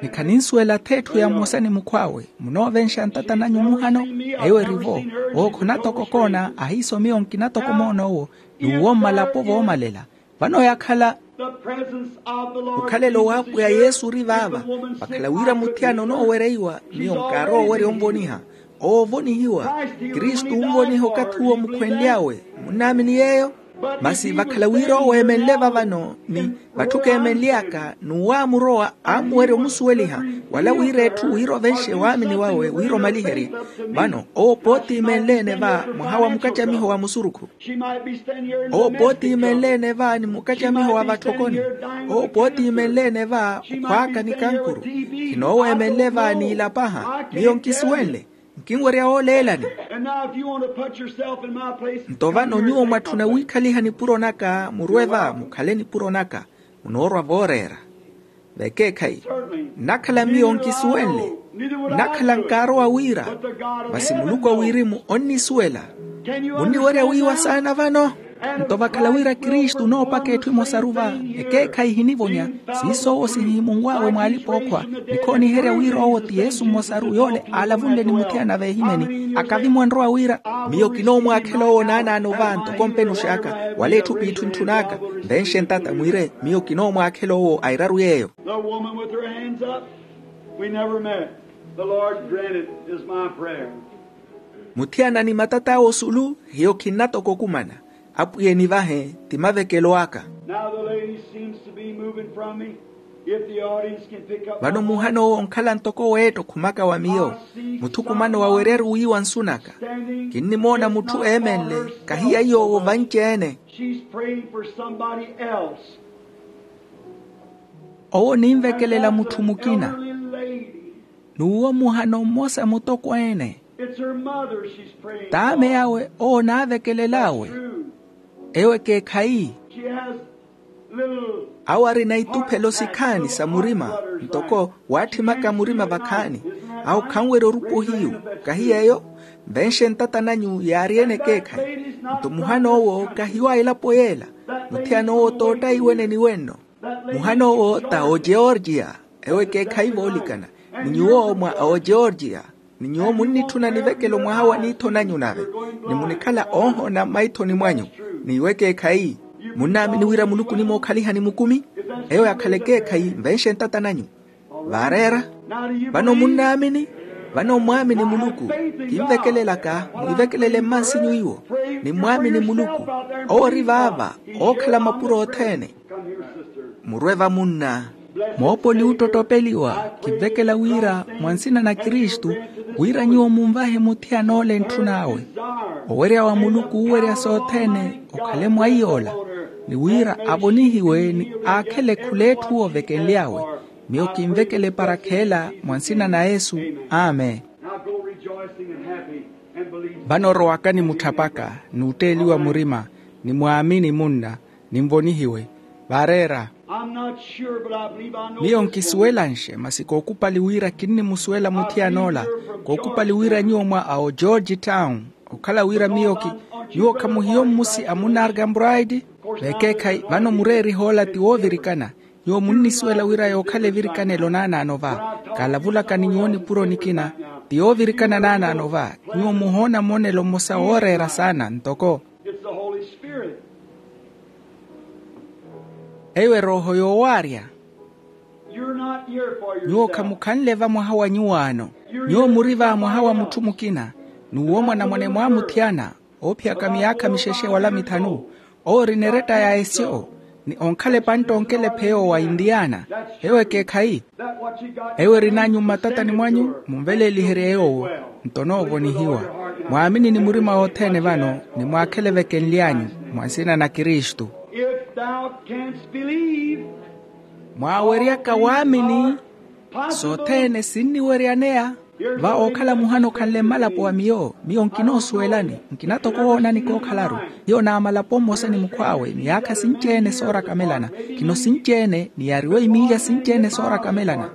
Ni khaninsuwela ath'etthu ya mmosa ni mukhw'awe. Munoovenxa ntata nanyu muhano? Eyo eri-vo. Owo khonatoka okoona ahiiso miyo nkinatoka omoona owo. N'uwo mmalapo voomalela. Vano yakhala Okhalelo w'apwiya yesu ori vaava. Vakhala wira muthiyana onoowereiwa, miyo nkaarowa owerya onvoniha. Owo ovonihiwa. Kristu onvoniha okathi uwo mukhwenly'awe. Munnaamini yeeyo? Masi vakhala wira owo eemenle vavano, ni vatthu keemenly'aka n'uwo aamurowa aamuwerya omusuweliha, wala wira etthu wira ovenxe waamini wawe wira omaliherye. Vano owo pooti imenle-ene va mwaha wa mukacamiho wa musurukhu. Owo pooti imenle-ene va ni mukacamiho wa vatthokoni. Owo pooti imenle-ene va okhwaaka ni kankuru. Kinooweemenle va n'ilapaha miyo nkisuwenle. Nkinwerya wooleelani. Nto vano nyuwo mwatthuna wiikhaliha nipuro naka murwe va mukhale nipuro naka. Munoorwa vooreera. Vekeekhayi. Nnakhala miyo nkisuwenle. Nnakhala nkaarowa wira. Masi muluku a wirimu onnisuwela. Munniwerya wiiwa saana vano? Nto vakhala wira kristu onoopaka etthu emosaru va. Ekeekhayi ehinivonya. Siiso owo sihihimunw'awe mw'alipa-ookhwa. Nikhooniherya wira owo ti yesu mmosaru yoole aalavunle ni muthiyana veehimeni akavimwa nrowa wira, miyo kinoomwaakhela owo naanaano va ntoko mpenux'aka. Wala etthu p'itthu entthun'aka. Nvenxe ntata mwiire miyo kinoomwaakhela owo a eraru yeeyo. The woman with her hands up. We never met. The Lord granted is my prayer. Muthiyana ni matat'awe osulu. Hiyo khinnatoka okumana. Apwiya enivahe. Ti mavekelo aka. Now the lady seems to be moving from me. If the audience can pick up vano muhana owo onkhala ntoko weetta okhumaka wa miyo. Muthukumano waweryaru wiiwa nsu naka. Kinnimoona mutthu eemenle. Kahiya yoowo vanci-ene. She's praying for somebody else. Owo ninvekelela mutthu mukina. N'uwo muhano mmosa mutokweene. T'ame awe owo naavekelel'awe. Eyo ekeekhayi. Awo arina ituphelo sikhaani sa murima. Ntoko waatthimaka murima vakhaani. Awo khanwerya orupa ohiyu. Kahiya eyo? Nvenxe ntata nanyu yaari-ene ekeekhayi. Nto muhana owo kahiwa elapo yeela. Muthiyana owo t'otta iweneni wenno. Muhana owo ta ogeorgia. Ewo ekeekhayi voolikana. Ni nyuwo mwa ogeorgia. Ni nyuwo munnitthuna nivekelo mwaha wa niitho nanyu nave. Ni munikhala oohoona mmaithoni mwanyu. N'iwo ekeekhayi. Munnaamini wira muluku onimookhalihani mukumi? Eyo yakhala ekeekhayi nvenxe ntata nanyu. Vaareera. Vano munnaamini? Vano mwaamini muluku. Kinvekelelaka mwivekelele mmansinyu iwo. Ni mwaamini muluku. Owo ori vaava. Ookhala mapuro othene. Murwe va munna. Moopoli oottottopeliwa. Kinvekela wira mwa nsina na kristu wira nyuwo munvahe muthiyana ole ntthun'awe. Owerya wa muluku oowerya sothene okhale mwa iy'ola. Ni wira avonihiwe ni aakhele khul'etthu ovekenly'awe. Miyo kinvekela eparakha ela mwa nsina na yesu. Amen. Vano orowakani mutthapaka n'utteeliwa murima. Ni mwaamini munna. Ninvonihiwe. Vaareera. Miyo nkisuwelanxe masi kookupali wira kinnimusuwela muthiyan'ola. Kookupali wira nyuwo mwa awo george town. Okhala wira miyo ki nyuwo khamuhiyo mmusi a munna argambraidi. Vekeekhayi vano mureeriha ola ti woovirikana. Nyuwo munnisuwela wira yookhala evirikanelo naanaano va. Kaalavulaka ni nyuwo nipuro nikina. Ti yoovirikana naanaano va. Nyuwo muhoona monelo mmosa wooreera saana ntoko. Eyo erooho yoowaarya. Nyuwo khamukhanle va mwaha wa nyuwaano. Nyuwo muri va mwaha wa mutthu mukina. N'uwo mwanamwane mwaamuthiyana. Oophiyaka miyaakha mixexe wala mithanu. Owo orina eretta ya esyo. Ni onkhala epantta onkela epheya owo wa indiana. Ewo ekeekhayi. Ewo erinanyu mmatatani mwanyu munveleeliherye yoowo. Nto onoovonihiwa. Mwaamini ni murima wothene vano. Ni mwaakhele vekenly'anyu mwa nsina na kristu. Mwaaweryaka waamini. Sothene sinniweryaneya. Va ookhala muhana okhanle mmalapo wa miyo. Miyo nkinoosuwelani. Nkina toko woonani kookhalaru. Hiyo naamalapo mmosa ni mukhw'awe miyaakha sinci-ene soorakamelana. Khino sinci-ene ni yaariwe imiilya sinci-ene soorakamelana.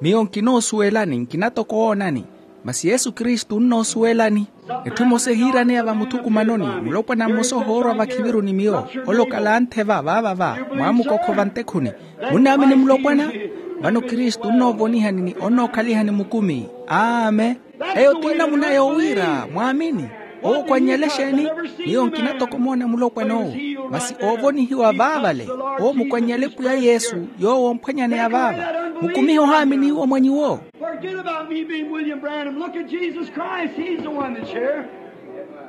Miyo nkinoosuwelani nkina toko woonani. Masi yesu kristu onnoosuwelani. Etthu emosa ehiiraneya vamuthukumanoni. Mulopwana mmosa ohoorwa vakhiviru ni miyo. Ole okhala anthe va vaava va mwaamukokho vantekhuni. Munnaamini mulopwana? Vano kristu onnoovonihani ni onnookhalihani mukumi. Amen. Eyo ti namuna yoowiira mwaamini. Owo okwannyale exeeni? Miyo nkina toko omoona mulopwan'owo, masi oovonihiwa vaavale. Owo mukwannyale pwiya yesu, yoowo omphwanyaneya vaava. Mukumihe ohaamini iwo mwa nyuwo. Forget about me being William Branham. Look at Jesus Christ. He's the one that's here.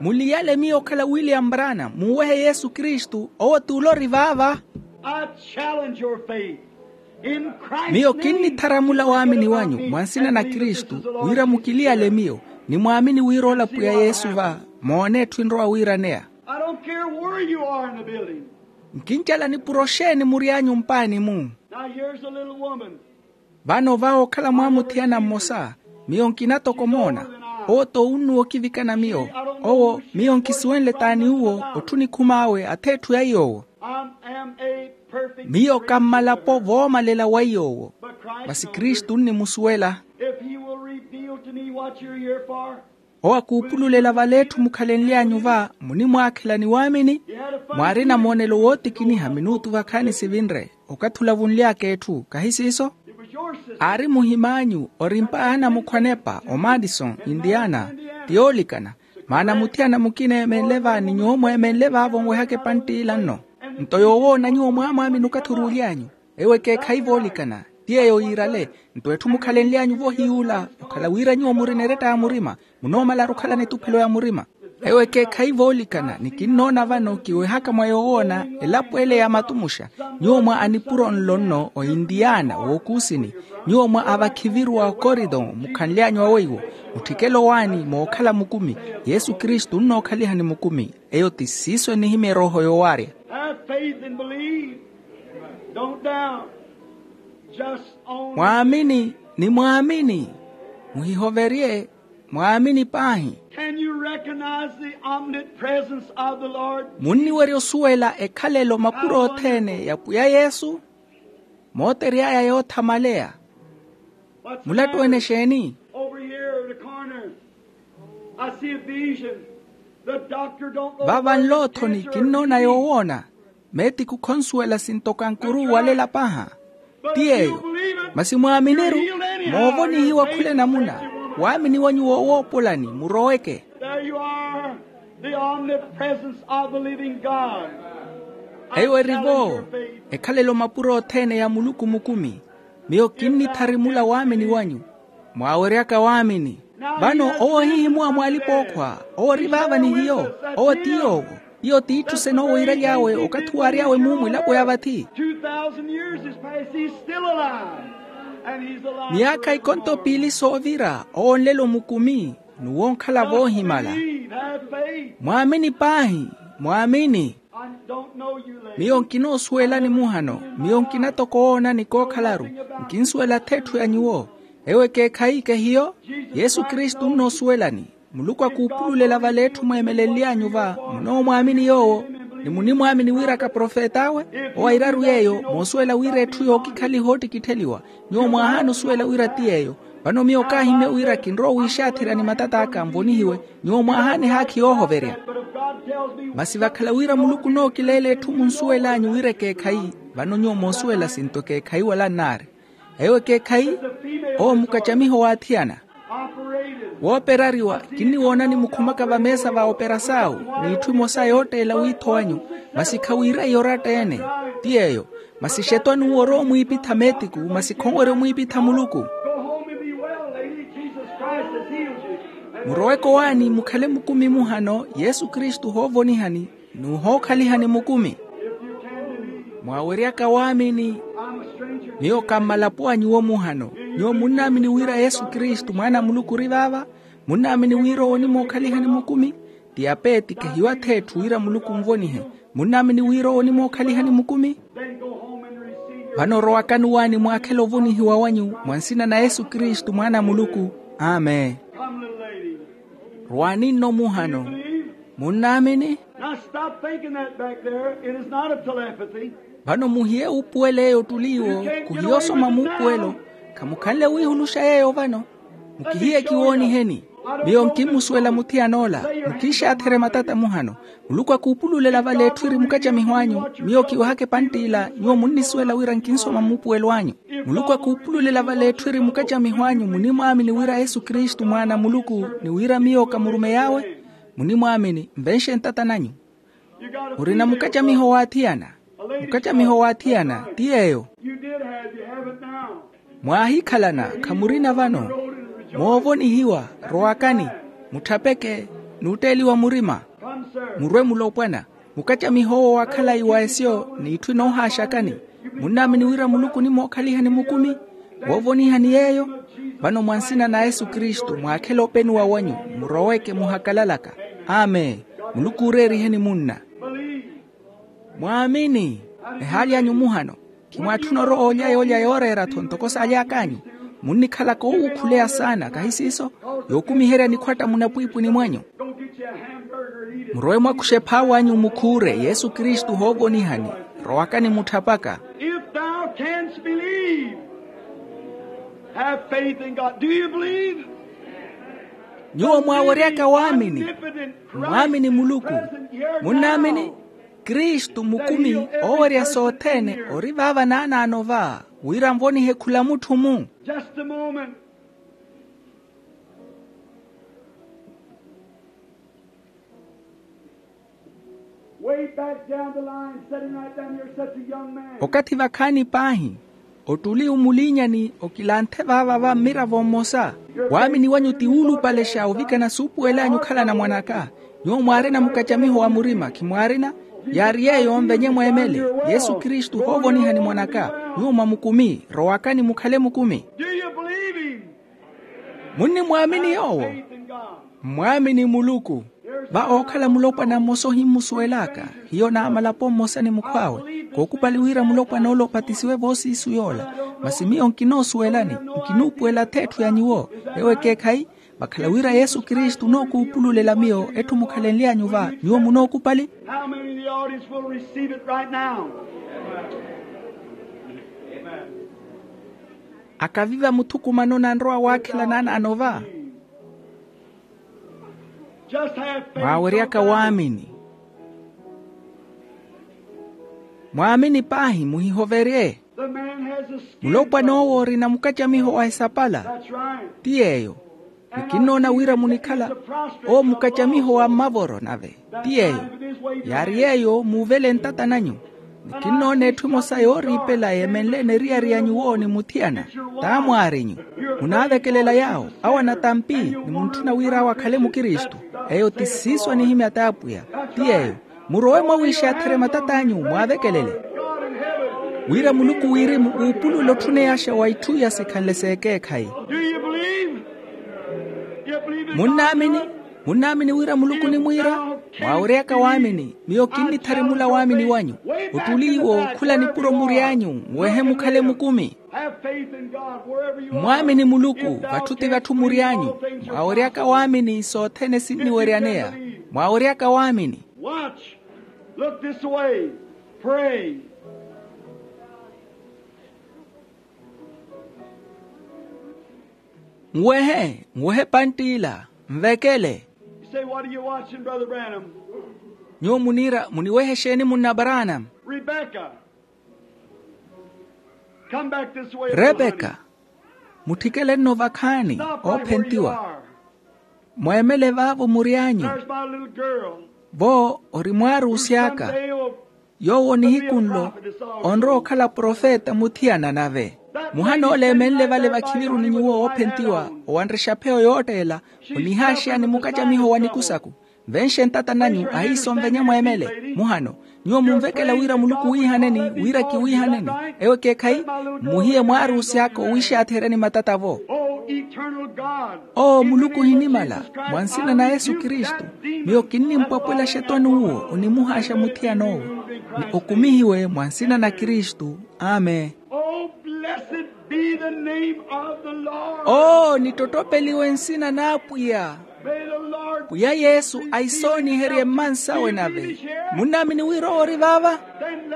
Muliyale miyo okhala william branham, muuwehe yesu kristu, owo t'ule ori vaava. I challenge your faith. In Christ's name. Miyo kinnitharamula waamini wanyu mwa nsina na kristu, wira mukiliyale miyo, nimwaamini wira ola pwiya yesu va, moone etthu enrowa wiiraneya. I don't care where you are in the building. Nkincala nipuro xeeni muryanyu mpaani-mu. Now here's a little woman. Vano va okhala mwamuthiyana mmosa, miyo nkina toko omoona. Owo t'owunnuwa okivikana miyo. Owo miyo nkisuwenle t'ani uwo, otthu nikhum'awe ath'etthu ya iy'owo. I am a perfect. Miyo kammalapo voomalela wa iy'owo. Masi kristu nnimusuwela. If he will reveal to me what you're here for. Owo akuupululela vale etthu mukhalenly'anyu va, munimwaakhela ni waamini. Mwaarina moonelo wootikiniha minutu vakhaani sivinre, okathi olavunly'aka etthu kahi siiso? Aari muhim'anyu, ori mpaaha na mukhwanepa omadison, indiana, ti yoolikana. Maana muthiyana mukina eemenle va ni nyuwo mweemenle vaavo onwehaka epantt'ila nno. Nto yoowoona nyuwo mwaamwaamini okathi oruuly'anyu. Ewo ekeekhayi voolikana, ti eyo yiirale. Nto etthu mukhalenly'anyu vohiy'ula okhala wira nyuwo murina eretta ya murima, munoomalaru okhalana etuphelo ya murima. Ewo ekeekhayi voolikana ni kinnoona vano kiwehaka mwa yoowoona elapo ele ya matumuxa. Nyuwo mwa anipuro nlo nno oindiana wookuusini, nyuwo mwa avakhiviru wa okorito mukhanly'anyu aweiwo, mutthikele owaani mookhala mukumi. Yesu kristu onnookhalihani mukumi. Eyo ti siiso enihimya erooho yoowaarya. Have faith and believe. Don't doubt. Just only. Mwaamini ni mwaamini. Muhihoverye. Mwaamini paahi. Can you recognize the omnipresence of the Lord? Munniwerya osuwela ekhalelo mapuro othene ya pwiya yesu? Mootery'aya yoothamaleya. Mulattu ene exeeni? Over here in the corner, I see a vision. The doctor don't go. Vava nloothoni kinnoona yoowoona. Meetiku khonsuwela sinto kankuru walela paha. Ti yeeyo. Masi mwaaminiru, moovonihiwa khula enamuna. Waamini wanyu woowoopolani muroweke. There you are, the omnipresence of the living God. Eyo eri-vo ekhalelo mapuro othene ya muluku mukumi. Miyo kinnitharimula waamini wanyu. Mwaaweryaka waamini. Vano owo ohihimuwa mw'alipa-ookhwa. Owo ori vaava ni hiyo. Owo ti yoowo. Iyo t'itthu senoowiiraly'awe okathi waary'awe mumu elapo ya vathi. Two thousand years has passed, he's still alive. And he's alive. Miyaakha ikonto piili soovira owo onlelo mukumi. N'uwo onkhala voohimala. Believe, have faith. Mwaamini paahi. Mwaamini. I don't know you, lady. Miyo nkinoosuwelani muhano. Miyo nkina toko owoonani kookhalaru. Nkinsuwela ath'etthu ya nyuwo. Ewo ekeekhayi kehiyo. Yesu kristu onnoosuwelani. Muluku akuupululela vale etthu mweemelenly'anyu va. Munoomwaamini yoowo. Ni munimwaamini wira kaprofet'awe. Owo airaru yeeyo moosuwela wira etthu yookikhaliha oottikittheliwa. Nyuwo mwaahaana osuwela wira ti yeeyo. Vano miyo kaahimya wira kinrowa owiixaatherya ni matat'aka nvonihiwe. Nyuwo mwaahaana ehaakhi yoohoverya. Masi vakhala wira muluku onookileela etthu munsuwel'anyu wira ekeekhayi. Vano nyuwo moosuwela sinto ekeekhayi wala nnaari. Ewo ekeekhayi. Owo mukacamiho w'athiyana. Wooperariwa. Kinniwoonani mukhumaka vameesa va operasau. N'itthu emosa yootteela wiitho wanyu. Masi khawiira iyo oratta-ene. Ti yeeyo. Masi xetwani uwo orowa omwiipitha meetiku masi khonwerya omwiipitha muluku. Muroweke owaani mukhale mukumi muhano yesu kristu ohoovonihani. N'uhookhalihani mukumi. Mwaaweryaka waamini. Miyo kammalapo a nyuwo muhano. Nyuwo munnaamini wira yesu kristu mwaana a muluku ori vaava? Munnaamini wira owo onimookhalihani mukumi? Ti apeeti kehiyo ath'etthu wira muluku onvonihe. Munnaamini wira owo onimookhalihani mukumi? Vano rowakani owaani mwaakhele ovonihiwa wanyu mwa nsina na yesu kristu mwaana a muluku. Amen. Rwaani nno muhano. Munnaamini? Now stop thinking that back there. It is not a telepathy. Vano muhiye wuupuwela eyo ottuli iwo. Kuhiye osoma muupuwelo. Khamukhanle wiihuluxa yeeyo vano. Mukihiye kiwooniheni. Miyo nkimusuwela muthiyan'ola. Mukiixaatherye matata muhano. Muluku akuupululela vale etthu eri mukacamiho anyu. Miyo kiwehaka epantt'ila nyuwo munnisuwela wira nkinsoma muupuwelo anyu. Muluku akuupululela vale etthu eri mukacamiho anyu munimwaamini wira yesu kristu mwaana a muluku, ni wira miyo kamurumey'awe? Munimwaamini nvenxe ntata nanyu. Murina mukacamiho waathiyana. Mukacamiho waathiyana ti yeeyo. Mwaahikhalana khamurina vano. Moovonihiwa. Rowakani. Mutthapeke. N'utteeliwa murima. Murwe mulopwana. Mukacamiho owo wa khalayi wa esyo n'itthu enoohaaxakani. Munnaamini wira muluku onimookhalihani mukumi? Woovonihani yeeyo. Vano mwa nsina na yesu kristu mwaakhele openuwa wanyu. Muroweke muhakalalaka. Amen. Muluku ooreeriheni munna. Mwaamini. Ehaali anyu muhano. Khimwaatthuna orowa olya yoolya yooreera-tho ntoko saaly'ak'anyu. Munnikhalaka oowuukhuleya saana kahi siiso? Yookumiherya nikhwatta munapwiipwini mwanyu. Murowe mwakuxe ephaawanyu mukhuure yesu kristu hoovonihani. Rowakani mutthapaka. If thou canst believe, have faith in God. Do you believe? Nyuwo mwaaweryaka waamini. Mwaamini muluku. Munnaamini? Kristu mukumi oowerya sothene ori vaava naanaano va wira nvonihe khula mutthu-mu. Just a moment. Way back down the line, sitting right down here, such a young man. Okathi vakhaani paahi, ottuli omuliinyani okilanthe vaava va mmiravo mmosa. Waamini wanyu ti wuulupalexa ovikana suupuwel'anyu okhalana mwan'aka. Nyuwo mwaarina mukacamiho wa murima khimwaarina? Yaari yeeyo nvenye mweemele. Yesu kristu hoovonihani mwan'aka. Nyuwo mwamukumi. Rowakani mukhale mukumi. Do you believe him? Munnimwaamini yoowo? Mmwaamini muluku. Va ookhala mulopwana mmosa ohimmusuwel'aka. Hiyo naamalapo mmosa ni mukhw'awe. Kookupali wira mulopwana ole opatisiwe voosiisu yoola. Masi miyo nkinoosuwelani. Nkinuupuwela ath'etthu ya nyuwo. Ewo ekeekhayi. Vakhala wira yesu kristu onookuupululela miyo etthu mukhalenly'anyu va nyuwo munookupali? How many in the audience will receive it right now? Akaviva muthukumano nanrowa waakhela naanaano va. Mwaaweryaka waamini. Mwaamini paahi muhihoverye. Mulopwan'owo orina mukacamiho wa esapala. Ti yeeyo. Nikinnoona wira munikhala owo mukacamiho wa mmavoro nave. Ti yeeyo. Yaari yeeyo muuvele ntata nanyu. Nikinnoona etthu emosa yooriipela yeemenleene eriyari ya nyuwo ni muthiyana. T'amwaarinyu. Munaavekelela yaawo awo anatampi ni muntthuna wira awo akhale mukristu. Eyo ti siiso anihimya t'apwiya. Ti yeeyo. Murowe mwawiixatherye matat'anyu mwaavekelele wira muluku wirimu uupulule otthuneyaxa wa itthu iya sikhanle s'ekeekhayi. Munnaamini? Munnaamini wira muluku onimwiira? Mwaaweryaka waamini miyo kinnitharimula waamini wanyu. Ottuli iwo khula nipuro mury'anyu nwehe mukhale mukumi. Mmwaamini muluku vatthu ti vatthu mury'anyu. Mwaaweryaka waamini sothene sinniweryaneya. Mwaaweryaka waamini. Watch. Look this way. Pray. Nwehe nwehe pantt'ila. Nvekele. You say, what are you watching, Brother Branham? Nyuwo muniira muniweha exeeni munna branham? Rebecca. Come back this way. Rebeka. Mutthikele-nno vakhaani. Oophentiwa. Mweemele vaavo mury'anyu. Vo ori mwaaruusy'aka. Yoowo nihiku nlo onrowa okhala profeta muthiyana nave. Muhana ole eemenle vale vakhiviru ni nyuwo oophentiwa owanrexa pheyo yootteela. Onihaaxeyani mukacamiho wa nikusaku. Venxe ntata nanyu ahiisonvenya mweemele. Muhano nyuwo munvekela wira muluku wiihaneni wira kiwiihaneni. Ewo ekeekhayi. Muhiye mwaaruusy'aka owiixaatherya ni matata-vo. Owo muluku ohinimala. Mwa nsina na yesu kristu miyo kinnimpwapwela xetwani uwo onimuhaaxa muthiyan'owo. Ni okumihiwe mwa nsina na kristu. Amen. Oo nittottopeliwe nsina n'apwiya. Pwiya yesu aisooniherye mmansawe nave. Munnaamini wira owo ori vaava?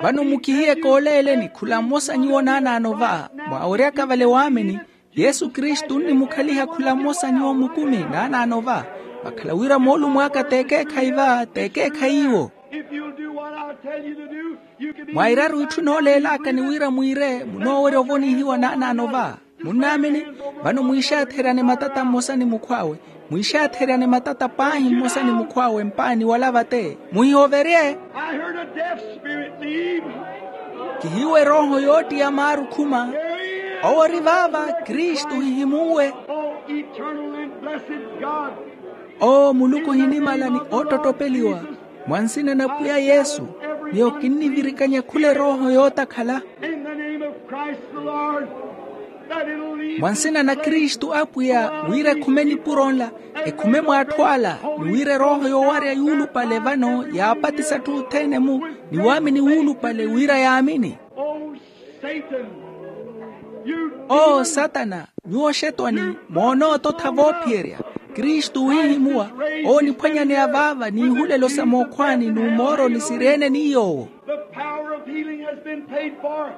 Vano mukihiye kooleeleni khula mmosa nyuwo naanaano va. Mwaaweryaka vale waamini yesu kristu onnimukhaliha khula mmosa nyuwo mukumi naanaano va. Vakhala wira moolumo aka t'ekeekhayi va t'ekeekhayi iwo. Mwairaru itthu nooleelaka ni wira mwiire munoowerya ovonihiwa naanaano va. Munnaamini? Vano mwiixaatheryane matata mmosa ni mukhw'awe. Mwiixaatheryane matata paahi mmosa ni mukhw'awe mpaani wala vate. Muhihoverye. I heard a deaf spirit leave. Kihiiwe erooho yoottiya maaru khuma. Owo ori vaava. Kristu ohihimunwe. Oh, eternal and blessed God. Oo muluku ohinimala ni oottottopeliwa, mwa nsina na pwiya yesu, miyo kinnivirikanya khula erooho yootakhala. In the name of Christ the Lord, that it'll leave. Mwa nsina na kristu apwiya wira ekhume nipuro nla, ekhume mw'atthu ala, ni wira erooho yoowarya yuulupale vano yaapatisa atthu othene-mu, ni waamini wuulupale wira yaamini. Oh, Satan, you. Oo satana, nyuwo xetwani, moonoototha voophiyerya. Kristu wihihimuwa, ooniphwanyaneya vaava n'ihulelo sa mookhwaani n'umooroni siri-ene ni yoowo. The power of healing has been paid for.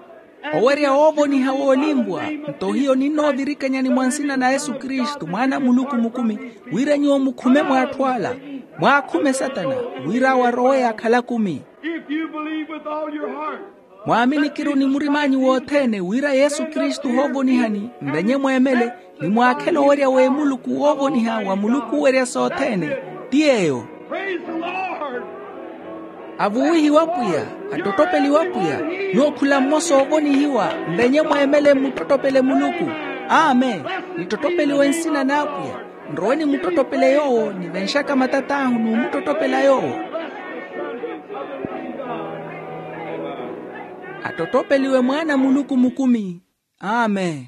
Owerya woovoniha woolimpwa. Nto hiyo ninnoovirikanyani mwa nsina na yesu kristu mwaana a muluku mukumi, wira nyuwo mukhume mw'atthu ala, mwaakhume satana, wira awo arowe yaakhala kumi. If you believe with all your heart. Mwaaminikiru ni murim'anyu wothene wira yesu kristu ohoovonihani, mvenye mweemele, ni mwaakhele owerya w'emuluku woovoniha wa muluku owerya sothene. Ti yeeyo. Praise the Lord. Avuwihiwe apwiya, attottopeliwe apwiya. Nyuwo khula mmosa oovonihiwa, mvenye mweemele mmuttottopele muluku. Amen. Nittottopeliwe nsina n'apwiya. Nrowe nimuttottopele yoowo nivenxaka matat'ahu n'umuttottopela yoowo. Attottopeliwe mwaana a muluku mukumi. Amen.